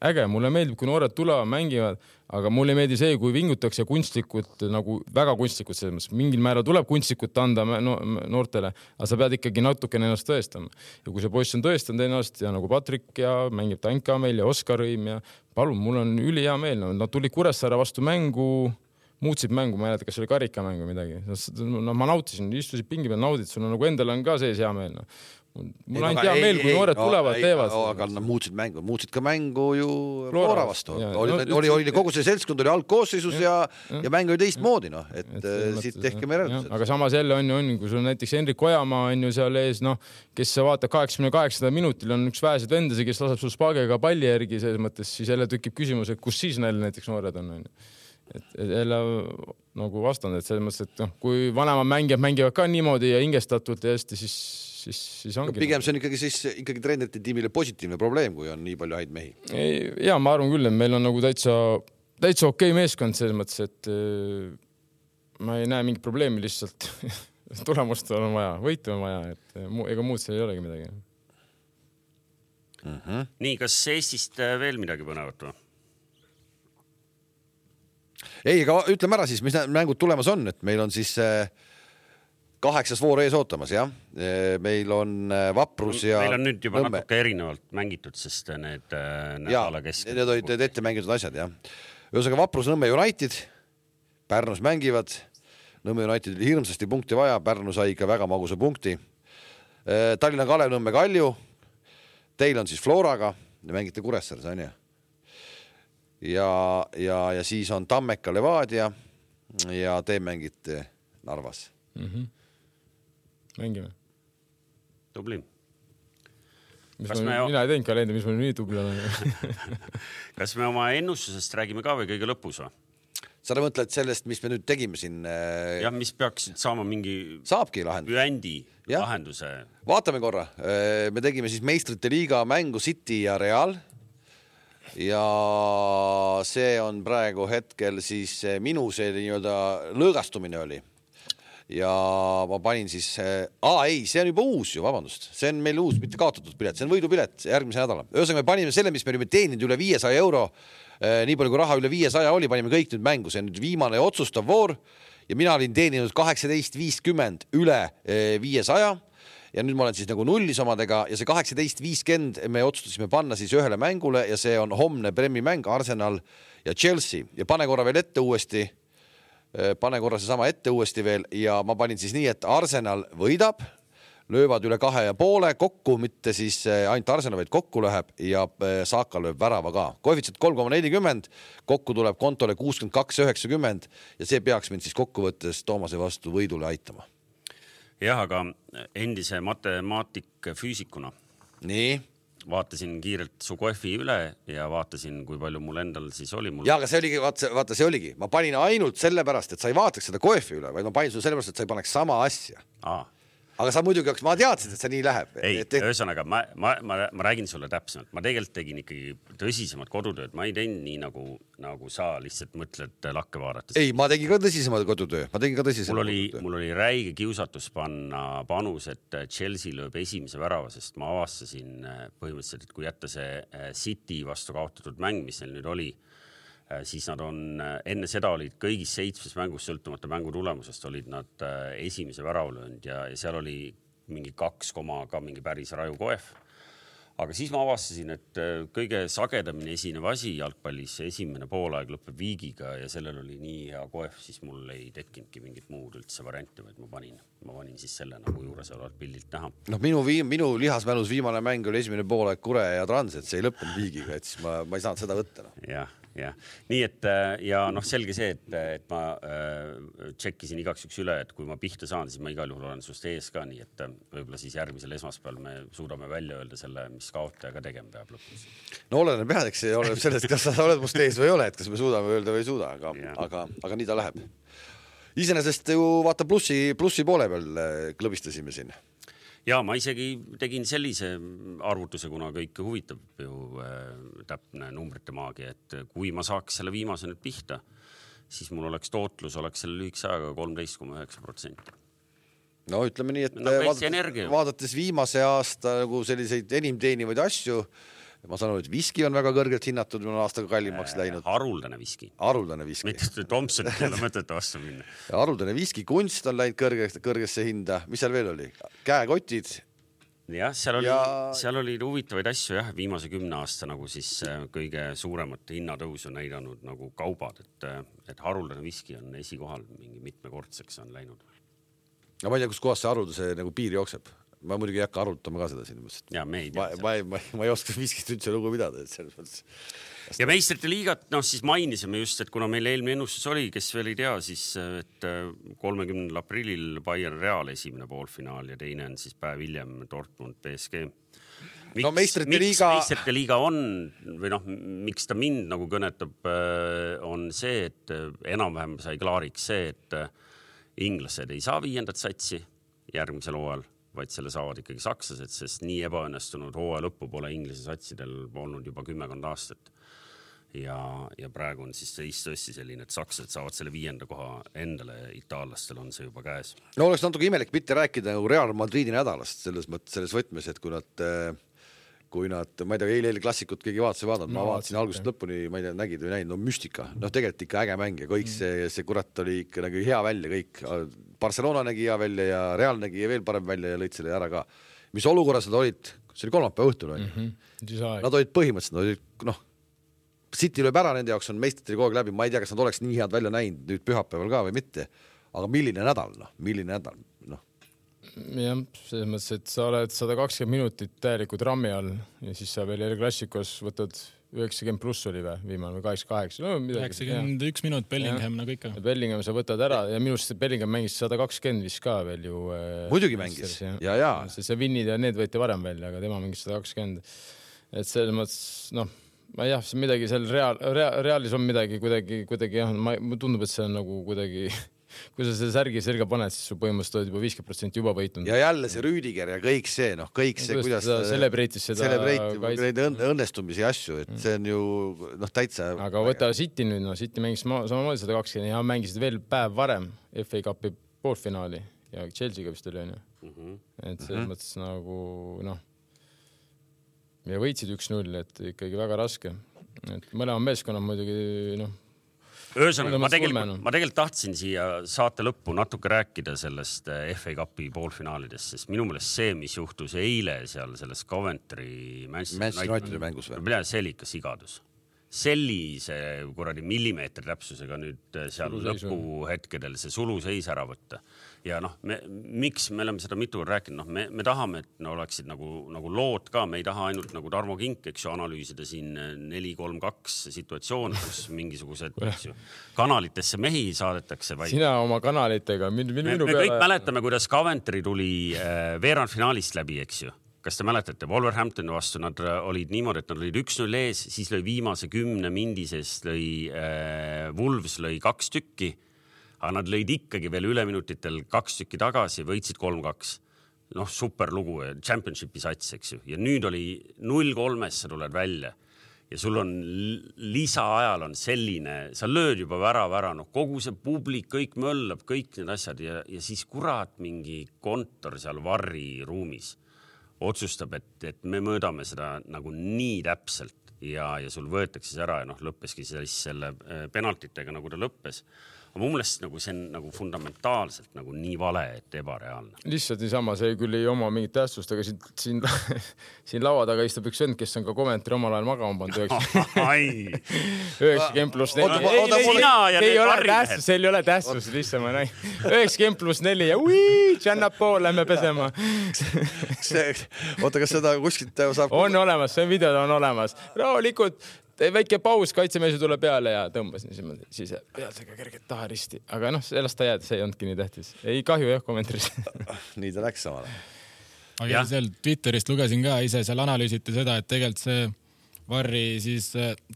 äge, mulle meeldib, kui noored tulevad, mängivad, aga mulle ei meeldi see, kui vingutakse kunstlikult, nagu väga kunstlikult selles mõttes, mingil määral tuleb kunstlikult anda no, noortele, aga sa pead ikkagi natukene ennast tõestama. Ja kui see poiss on tõestanud ennast ja nagu Patrik ja mängib Tanka meil ja Oskar Õim ja palun, mul on üli hea meel, no, nad tulid Kuressaare vastu mängu, muutsid mängu, ma ei näeta, kas oli karikamäng või midagi. No, ma nautisin, istusid pingi peal, naudid, sul on nagu endal on ka sees hea meel. No. Mul ainult hea meel, kui noored tulevad, ei, teevad. Aga nad muutsid mängu, muutsid ka mängu ju Flora vastu. Oli, no, oli, oli kogu see seltskond oli algkoosseisus ja, ja, ja mäng oli teistmoodi, noh, et, et siit tehke me järgused. Aga samas jälle on ju, on, kui sul näiteks Henrik Ojamaa on ju seal ees, noh, kes sa vaatab kaheksakümne kaheksanda minutil on üks vähesed vendasi, kes laseb sul spaagega palli järgi selles mõttes, siis jälle tükib küsimus, et kus siis neil näiteks noored on, on ju. Et, et jälle nagu vastand, et selles mõttes, et noh, kui vanemad mängijad mängivad ka niimoodi ja hingestatult ja hästi, siis, siis, siis ongi. Pigem see on ikkagi, siis, ikkagi treenerite tiimile positiivne probleem, kui on nii palju häid mehi. Ja ma arvan küll, et meil on nagu täitsa, täitsa okei meeskond selles mõttes, et ma ei näe mingit probleemi lihtsalt. Tulemust on vaja, võitu on vaja, et ega muud seal ei olegi midagi. Mm-hmm. Nii, kas Eestist veel midagi põnevat või? Ei, aga ütleme ära siis, mis mängud tulemas on, et meil on siis kaheksas voor ees ootamas, jah. Meil on Vaprus ja meil on nüüd juba Nõmme. Natuke erinevalt mängitud, sest need nädala keskel. Need olid need ette mängitud asjad, jah. Ühesõnaga Vaprus Nõmme United, Pärnus mängivad, Nõmme United oli hirmsasti punkti vaja, Pärnu sai ikka väga magusa punkti. Tallinna Kalev Nõmme Kalju, teil on siis Floraga, mängite Kuressaares, on ju? Ja, ja, ja siis on Tammeka Levadia ja te mängite Narvas. Mm-hmm. Mängime. Tubli. Kas me... Mina ei teinud kalendri, mis me nii tubli olen. Kas me oma ennustusest räägime ka või kõige lõpus? Sa mõtled sellest, mis me nüüd tegime siin? Jah, mis peaksid saama mingi Saabki lahendus. Üendi ja. Lahenduse. Vaatame korra. Me tegime siis meistrite liiga mängu City ja Real. Ja see on praegu hetkel siis minu see nii-öelda lõõgastumine oli. Ja ma panin siis, aa ei, see on juba uus ju, vabandust. See on meil uus, mitte kaotatud pilet, see on võidupilet järgmise nädala. Ühesõnaga me panime selle, mis me olime teeninud üle viiesaja euro, nii palju kui raha üle viiesaja oli, panime kõik nüüd mängu. See on nüüd viimane otsustav voor ja mina olin teeninud kaheksateist viiskümmend üle viiesaja. Ja nüüd ma olen siis nagu nullis omadega ja see kaheksateist viiskümmend me otsustasime panna siis ühele mängule ja see on homne Premi mäng Arsenal ja Chelsea ja pane korra veel ette uuesti, pane korra see sama ette uuesti veel ja ma panin siis nii, et Arsenal võidab, löövad üle kahe ja poole kokku, mitte siis ainult Arsenal, vaid kokku läheb ja Saaka lööb värava ka. Koefitsient kolm koma nelikümmend, kokku tuleb kontole kuuskümmend kaks üheksakümmend ja see peaks mind siis kokkuvõttes Toomase vastu võidule aitama. jah, aga endise matemaatik füüsikuna nii. Vaatasin kiirelt su kohvi üle ja vaatasin, kui palju mul endal siis oli. Mul... Ja, aga see oligi, vaata, vaata, see oligi. Ma panin ainult sellepärast, et sa ei vaataks seda kohvi üle, vaid ma panin su sellepärast, et sa ei paneks sama asja. Aa. Aga sa muidugi, ma teadsin, et see nii läheb. Ei, et... ühesõnaga, ma, ma, ma, ma räägin sulle täpsemalt. Ma tegelikult tegin ikkagi tõsisemad kodutööd. Ma ei teinud nii, nagu, nagu sa lihtsalt mõtled lakke vaadates. Ei, ma tegin ka tõsisemad kodutöö. Ma tegin ka tõsisemad mul oli, kodutöö. Mul oli räige kiusatus panna panus, et Chelsea lööb esimese värava, sest ma avastasin põhimõtteliselt, et kui jätta see City vastu kaotatud mäng, mis neil nüüd oli, siis nad on, enne seda olid kõigis seitsmes mängus sõltumata mängu tulemusest, olid nad esimese väravlöönd ja, ja seal oli mingi kaks koma ka mingi päris raju koef. Aga siis ma avastasin, et kõige sagedamini esinev asi jalgpallis esimene poolaeg lõpeb viigiga ja sellel oli nii hea koef, siis mul ei tekkinudki mingit muud üldse varianti, vaid ma panin, ma panin siis selle nagu juures olevat pildilt näha. No minu, viim, minu lihasmälus viimane mäng oli esimene poolaeg Kure ja Trans, et see ei lõppenud viigiga, et siis ma, ma ei saanud seda võtta. No. Jah. Ja. Nii et ja noh, selge see, et, et ma äh, tšekkisin igaks üks üle, et kui ma pihta saan, siis ma igal juhul olen sust ees ka, nii et võib-olla siis järgmisel esmaspäeval me suudame välja öelda selle, mis kaotajaga tegema peab lõpus. No oleneb jah, eks see oleneb sellest, kas sa oled must ees või ei ole, et kas me suudame öelda või ei suuda, aga, aga, aga nii ta läheb. Iseenesest ju vaata plussi, plussi poole peal klõbistasime siin. Ja ma isegi tegin sellise arvutuse, kuna kõike huvitab ju äh, täpne numbrite maagia, et kui ma saaks selle viimase nüüd pihta, siis mul oleks tootlus, oleks selle lühikese ajaga kolmteist koma üheksa protsenti. No ütleme nii, et no, vaadates, vaadates viimase aasta nagu selliseid enim teenivaid asju, ma saan aru, et viski on väga kõrgelt hinnatud, on aastaga kallimaks läinud. Haruldane viski. Haruldane viski. Mitte Thompsonit ei ole mõtet vastu minna. Haruldane viski, kunst on läinud kõrgesse, kõrgesse hinda. Mis seal veel oli? Käekotid. Jah, seal oli, ja... seal oli huvitavaid asju, jah, viimase kümne aasta nagu siis kõige suuremat hinnatõusu näidanud nagu kaubad, et, et haruldane viski on esikohal, mingi mitmekordseks on läinud. No ma ei tea, kus kohas see haruldase nagu piir jookseb. Ma muidugi ei hakka arutama ka seda siin. Ja, me ei, ma, ma, ma, ma ei oska viskist üldse lugu pidada. Et selles mõttes... Ja meistrite liigat, noh siis mainisime just, et kuna meil eelmine ennustus oli, kes veel ei tea, siis et kolmekümnendal aprillil Bayern Real esimene poolfinaal ja teine on siis päev hiljem Dortmund P S G. Miks, no meistrite miks liiga... meistrite liiga on, või noh, miks ta mind nagu kõnetab, on see, et enam-vähem sai klaariks see, et inglased ei saa viiendat satsi järgmisel hooajal, vaid selle saavad ikkagi sakslased, sest nii ebaõnnestunud hooaja lõppu pole inglise satsidel olnud juba kümmekond aastat. Ja, ja praegu on siis see istõssi selline, et sakslased saavad selle viienda koha endale, itaallastel on see juba käes. No oleks natuke imelik mitte rääkida nagu Real Madridi nädalast selles mõttes, selles võtmes, et kui nad, kui nad, ma ei tea, eile, eile klassikut keegi vaatas või vaadanud, ma no, vaatasin algusest lõpuni, ma ei tea, nägid või näinud, no müstika, noh tegelikult ikka äge mäng ja kõik see, see kurat oli ikka nagu hea välja kõik. Barcelona nägi hea välja ja Real nägi veel parem välja ja lõid selle ära ka. Mis olukorras nad olid, see oli kolmapäeva õhtul, on ju. Mm-hmm. Nad olid põhimõtteliselt, nad olid, noh, City lööb ära, nende jaoks on meistrite kogu aeg läbi, ma ei tea, kas nad oleks nii head välja näinud nüüd pühapäeval ka või mitte, aga milline nädal, noh, milline nädal, noh. Jah, selles mõttes, et sa oled sada kakskümmend minutit täielikud rammi all ja siis sa veel klassikos võtad üheksakümmend pluss oli või viimane või kaheksakümmend kaheksa. No, üheksakümmend üks minut Bellingham nagu ikka. Bellingham sa võtad ära ja minust Bellingham mängis sada kakskümmend vist ka veel ju. Muidugi mängis. Ja, ja, ja. See, see vinnid ja need võeti varem välja, aga tema mängis sada kakskümmend. Et selles mõttes, noh, ma jah, see midagi seal reaal, reaal, reaalis on midagi kuidagi, kuidagi jah, ma tundub, et see on nagu kuidagi... Kui sa selle särgi selga paned, siis su põhimõtteliselt oled juba viiskümmend protsenti juba võitnud. Ja jälle see Rüdiger ja kõik see, noh, kõik see, kuidas ta celebreitis seda neid õnnestumisi asju, et see on ju, noh, täitsa... Aga võta City nüüd, no City mängis samamoodi sada kakskümmend ja mängisid veel päev varem F A Cupi poolfinaali ja Chelsea'ga vist oli, on ju. Et selles mõttes nagu, noh, ja võitsid üks null, et ikkagi väga raske. Et mõlema meeskonna muidugi, noh, Ühesõnaga, ma tegelikult, ma tegelikult tahtsin siia saate lõppu natuke rääkida sellest F A Cupi poolfinaalidest, sest minu meelest see, mis juhtus eile seal selles Coventry Manchester United mängus või? See oli ikka sigadus. sellise kuradi millimeetri täpsusega nüüd seal lõpuhetkedel see suluseis ära võtta. Ja noh, me, miks me oleme seda mitu korda rääkinud, noh, me, me tahame, et no, oleksid nagu, nagu lood ka, me ei taha ainult nagu Tarmo Kink, eks ju, analüüsida siin neli kolm kaks situatsioon, kus mingisugused eks ju, kanalitesse mehi saadetakse. Vaid... Sina oma kanalitega. Min, min, me me peale... kõik mäletame, kuidas Coventry tuli äh, veerandfinaalist läbi, eks ju. Kas te mäletate, Wolverhamptoni vastu nad olid niimoodi, et nad olid üks null ees, siis lõi viimase kümne mindisest lõi äh, Wolves lõi kaks tükki. Aga nad lõid ikkagi veel üleminutitel kaks tükki tagasi, võitsid kolm kaks. Noh, super lugu, championshipi sats, eks ju. Ja nüüd oli null kolmest sa tuled välja. Ja sul on lisaajal on selline, sa lööd juba vära, vära, noh, kogu see publik, kõik möllab, kõik need asjad ja, ja siis kurat mingi kontor seal varri ruumis otsustab, et, et me mõõdame seda nagu nii täpselt ja, ja sul võetakse see ära ja noh, lõppeski siis selle penaltitega, nagu ta lõppes. Aga mu meelest nagu see on nagu fundamentaalselt nagu nii vale, et ebareaalne. Lihtsalt niisama, see küll ei oma mingit tähtsust, aga siin, siin, siin laua taga istub üks vend, kes on ka Coventry omal ajal magama pannud üheksakümmend pluss neli. See ei ole tähtsus, see ei ole tähtsus, lihtsalt ma näin. üheksakümmend pluss neli ja ui, Janna pool, lähme pesema. Oota, kas seda kuskilt saab... On olemas, see video on olemas. Rahulikult. Väike paus, kaitsemees tuleb peale ja tõmbas niisugune siis pealsega kerget taha risti. Aga noh, sellest ta jääd, see ei ondki nii tähtis. Ei kahju jah kommentris. Nii ta läks samale. Aga seal Twitterist lugesin ka, ise seal analüüsiti seda, et tegelikult see varri siis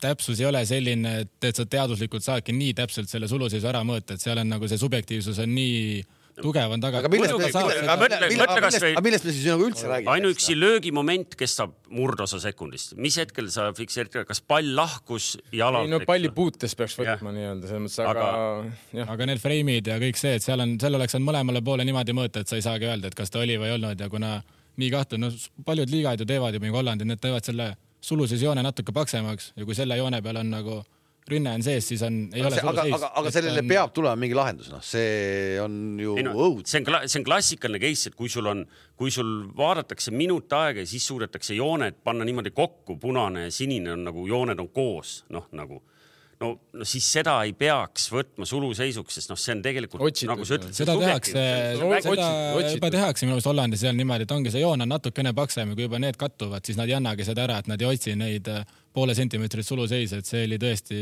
täpsus ei ole selline, et, et sa teaduslikult saadki nii täpselt selle suluseisu ära mõõta, et seal on nagu see subjektiivsus on nii... tugev on taga. Aga millest me, millest, millest, või... millest me siis nagu üldse räägime? Ainuüksi löögimoment kestab murdosa sekundist. Mis hetkel sa fikseerid, kas pall lahkus jalalt? Ei, no palli puutes peaks võtma nii-öelda. Mõttes, aga... Aga... aga need freimid ja kõik see, et seal, on, seal oleks on mõlemale poole niimoodi mõõta, et sa ei saagi öelda, et kas ta oli või olnud ja kuna nii kahtu, no paljud liigad ju teevad ju mingi Hollandi, need teevad selle suluses joone natuke paksemaks ja kui selle joone peal on nagu rünne on sees, siis on, ei aga ole see, aga, aga, aga sellele on... peab tulema mingi lahendus, noh, see on ju no, õud. See on, see on klassikaline case, et kui sul on, kui sul vaadatakse minut aega ja siis suudetakse jooned panna niimoodi kokku, punane ja sinine on nagu, jooned on koos, noh, nagu, no, no siis seda ei peaks võtma suluseisuks, sest noh, see on tegelikult, otsitud, nagu sa ütled, seda tehakse, seda juba tehakse minu meelest Hollandis seal niimoodi, et ongi see joon on natukene paksem ja kui juba need kattuvad, siis nad ei annagi seda ära, et nad ei otsi neid poole sentimeetrit suluseise, et see oli tõesti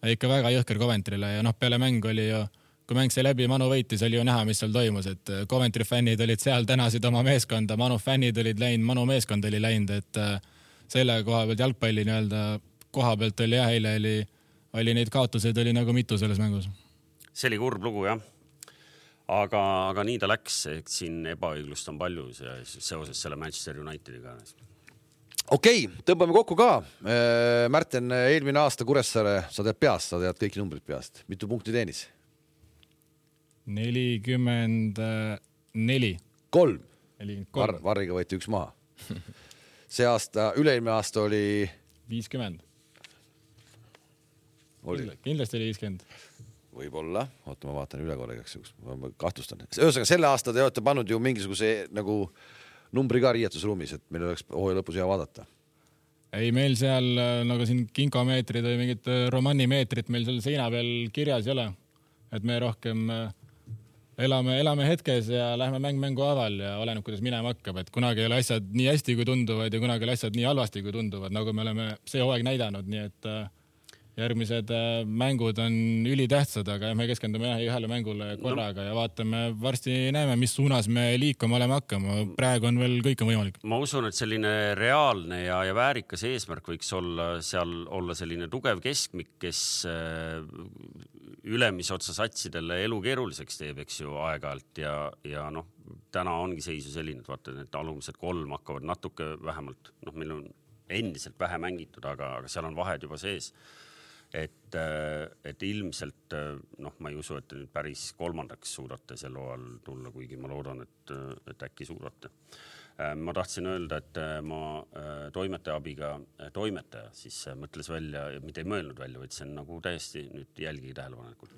ikka väga jõhker Coventry'le ja noh, peale mäng oli ju, kui mäng see läbi, Manu võitis, oli ju näha, mis seal toimus, et Coventry fännid olid seal, tänasid oma meeskonda, Manu fännid olid läinud, Manu meeskond oli läinud, et selle koha pealt jalgpalli nii-öelda koha pealt oli jah, eile oli oli neid kaotuseid oli nagu mitu selles mängus. See oli kurb lugu, jah. Aga, aga nii ta läks, et siin ebaõiglust on palju seoses selle Manchester Unitediga. Okei, tõmbame kokku ka. Märten, eelmine aasta Kuressaare, sa tead peast, sa tead kõik numbrid peast. Mitu punkti teenis? nelikümmend neli. Kolm. Var, varriga võeti üks maha. See aasta, üle-eelmine aasta oli... viiskümmend. Oli. Kindlasti oli viiskümmend. Võib-olla. Oota, ma vaatan üle korraks, ma kahtlustan. Ühesõnaga, selle aasta te olete pannud ju mingisuguse nagu numbri ka riietusruumis, et meil oleks hooaja lõpus hea vaadata. Ei, meil seal nagu siin kinkomeetrid või mingid romannimeetrid meil seal seina peal kirjas ei ole. Et me rohkem elame, elame hetkes ja lähme mäng mängu aval ja oleneb, kuidas minema hakkab. Et kunagi ei ole asjad nii hästi, kui tunduvad ja kunagi ei ole asjad nii halvasti, kui tunduvad, nagu me oleme see hooaeg näidanud, nii et järgmised mängud on ülitähtsad, aga me keskendume ühele mängule korraga ja vaatame, varsti näeme, mis suunas me liikuma oleme hakkama. Praegu on veel kõik on võimalik. Ma usun, et selline reaalne ja, ja väärikas eesmärk võiks olla seal olla selline tugev keskmik, kes ülemisotsa satsidele elu keeruliseks teeb, eks ju, aeg-ajalt ja, ja noh, täna ongi seisu selline, et vaata, need alumised kolm hakkavad natuke vähemalt, noh, meil on endiselt vähe mängitud, aga, aga seal on vahed juba sees. Et, et ilmselt, noh, ma ei usu, et te nüüd päris kolmandaks suudate sel hooajal tulla, kuigi ma loodan, et, et äkki suudate. Ma tahtsin öelda, et ma toimetaja abiga, toimetaja siis mõtles välja, mitte ei mõelnud välja, vaid see on nagu täiesti nüüd jälgi tähelepanelikult.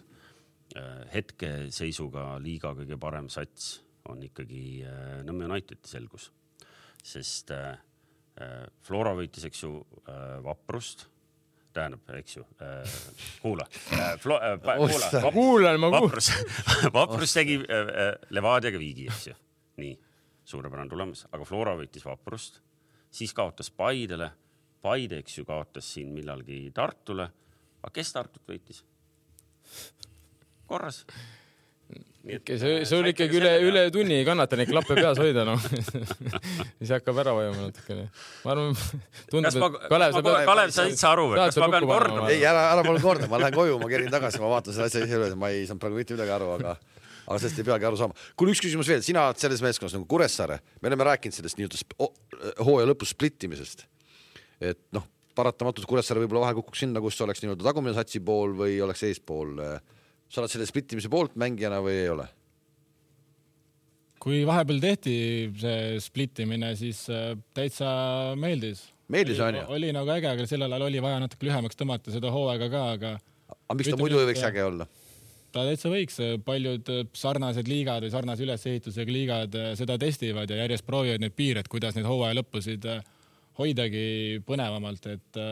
Hetke seisuga liiga kõige parem sats on ikkagi Nõmme United selgus, sest Flora võitis, eks ju, Vaprust, tähendab, eks ju, äh, kuula äh,, äh, kuula, kuulan, ma kuulan. Vaprus, Vaprus tegi äh, Levadiaga Viigi, eks ju. Nii, suurepärane tulemas, aga Flora võitis Vaprust, siis kaotas Paidele, Paide, eks ju, kaotas siin millalgi Tartule, aga kes Tartut võitis? Korras. Et, see, see oli ikkagi üle, üle tunni ei kannata neid klappe peas hoida, no. Siis hakkab ära vajama natukene. Ma arvan, tundub, ma, et Kalev, ma, Kalev, Kalev sa itse aru, kas ma pean kordama? Ei, ära, ära palun korda, ma lähen koju, ma kerin tagasi, ma vaatan selle asja ise üle, ma ei saanud praegu mitte midagi aru, aga, aga sellest ei peagi aru saama. Kui üks küsimus veel, sina oled selles meeskonnas nagu Kuressaare, me oleme rääkinud sellest nii-öelda hooaja lõpus splittimisest, et noh, paratamatult Kuressaare võib-olla vahel kukuks sinna, kus oleks nii-öelda tagumine satsi pool või oleks eespool. Sa oled selle splittimise poolt mängijana või ei ole? Kui vahepeal tehti see splittimine, siis täitsa meeldis. Meeldis on ju? Oli nagu äge, aga sellel ajal oli vaja natuke lühemaks tõmmata seda hooaega ka, aga... Aga miks ta muidu ei võiks äge olla? Ta täitsa võiks. Paljud sarnased liigad või sarnase ülesehitusega liigad seda testivad ja järjest proovivad need piired, kuidas need hooaja lõppusid hoidagi põnevamalt, et...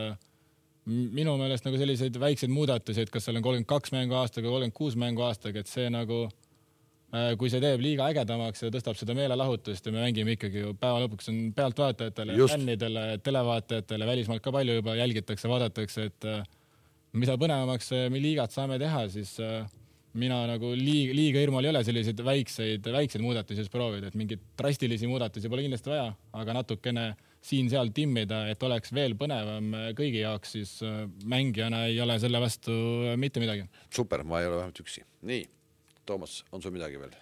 Minu meelest nagu selliseid väikseid muudatusi, et kas seal on kolmkümmend kaks mängu aastaga, kolmkümmend kuus mängu aastaga, et see nagu, kui see teeb liiga ägedamaks ja tõstab seda meelelahutust ja me mängime ikkagi ju päeva lõpuks on pealtvaatajatele, fännidele, televaatajatele, välismaalt ka palju juba jälgitakse, vaadatakse, et mida põnevamaks me liigat saame teha, siis mina nagu liiga, liiga hirmul ei ole selliseid väikseid, väikseid muudatusi proovida, et mingid drastilisi muudatusi pole kindlasti vaja, aga natukene siin-seal timmida, et oleks veel põnevam kõigi jaoks, siis mängijana ei ole selle vastu mitte midagi. Super, ma ei ole vähemalt üksi. Nii, Toomas, on sul midagi veel?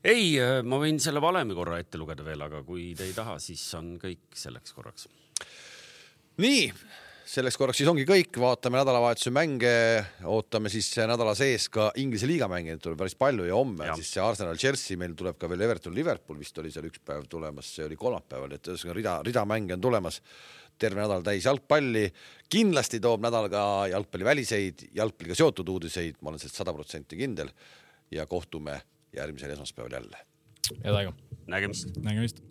Ei, ma võin selle valemi korra ette lugeda veel, aga kui te ei taha, siis on kõik selleks korraks. Nii, selleks korraks siis ongi kõik, vaatame nädalavahetuse mänge, ootame siis nädala sees ka Inglise liiga mänge, tuleb päris palju ja homme ja. Siis see Arsenal Chelsea, meil tuleb ka veel Everton Liverpool, vist oli seal üks päev tulemas, see oli kolmapäeval, et rida, rida mänge on tulemas, terve nädal täis jalgpalli, kindlasti toob nädal ka jalgpalli väliseid, jalgpalliga seotud uudiseid, ma olen sellest sada protsenti kindel ja kohtume järgmisel esmaspäeval jälle. Head aega. Nägemist. Nägemist.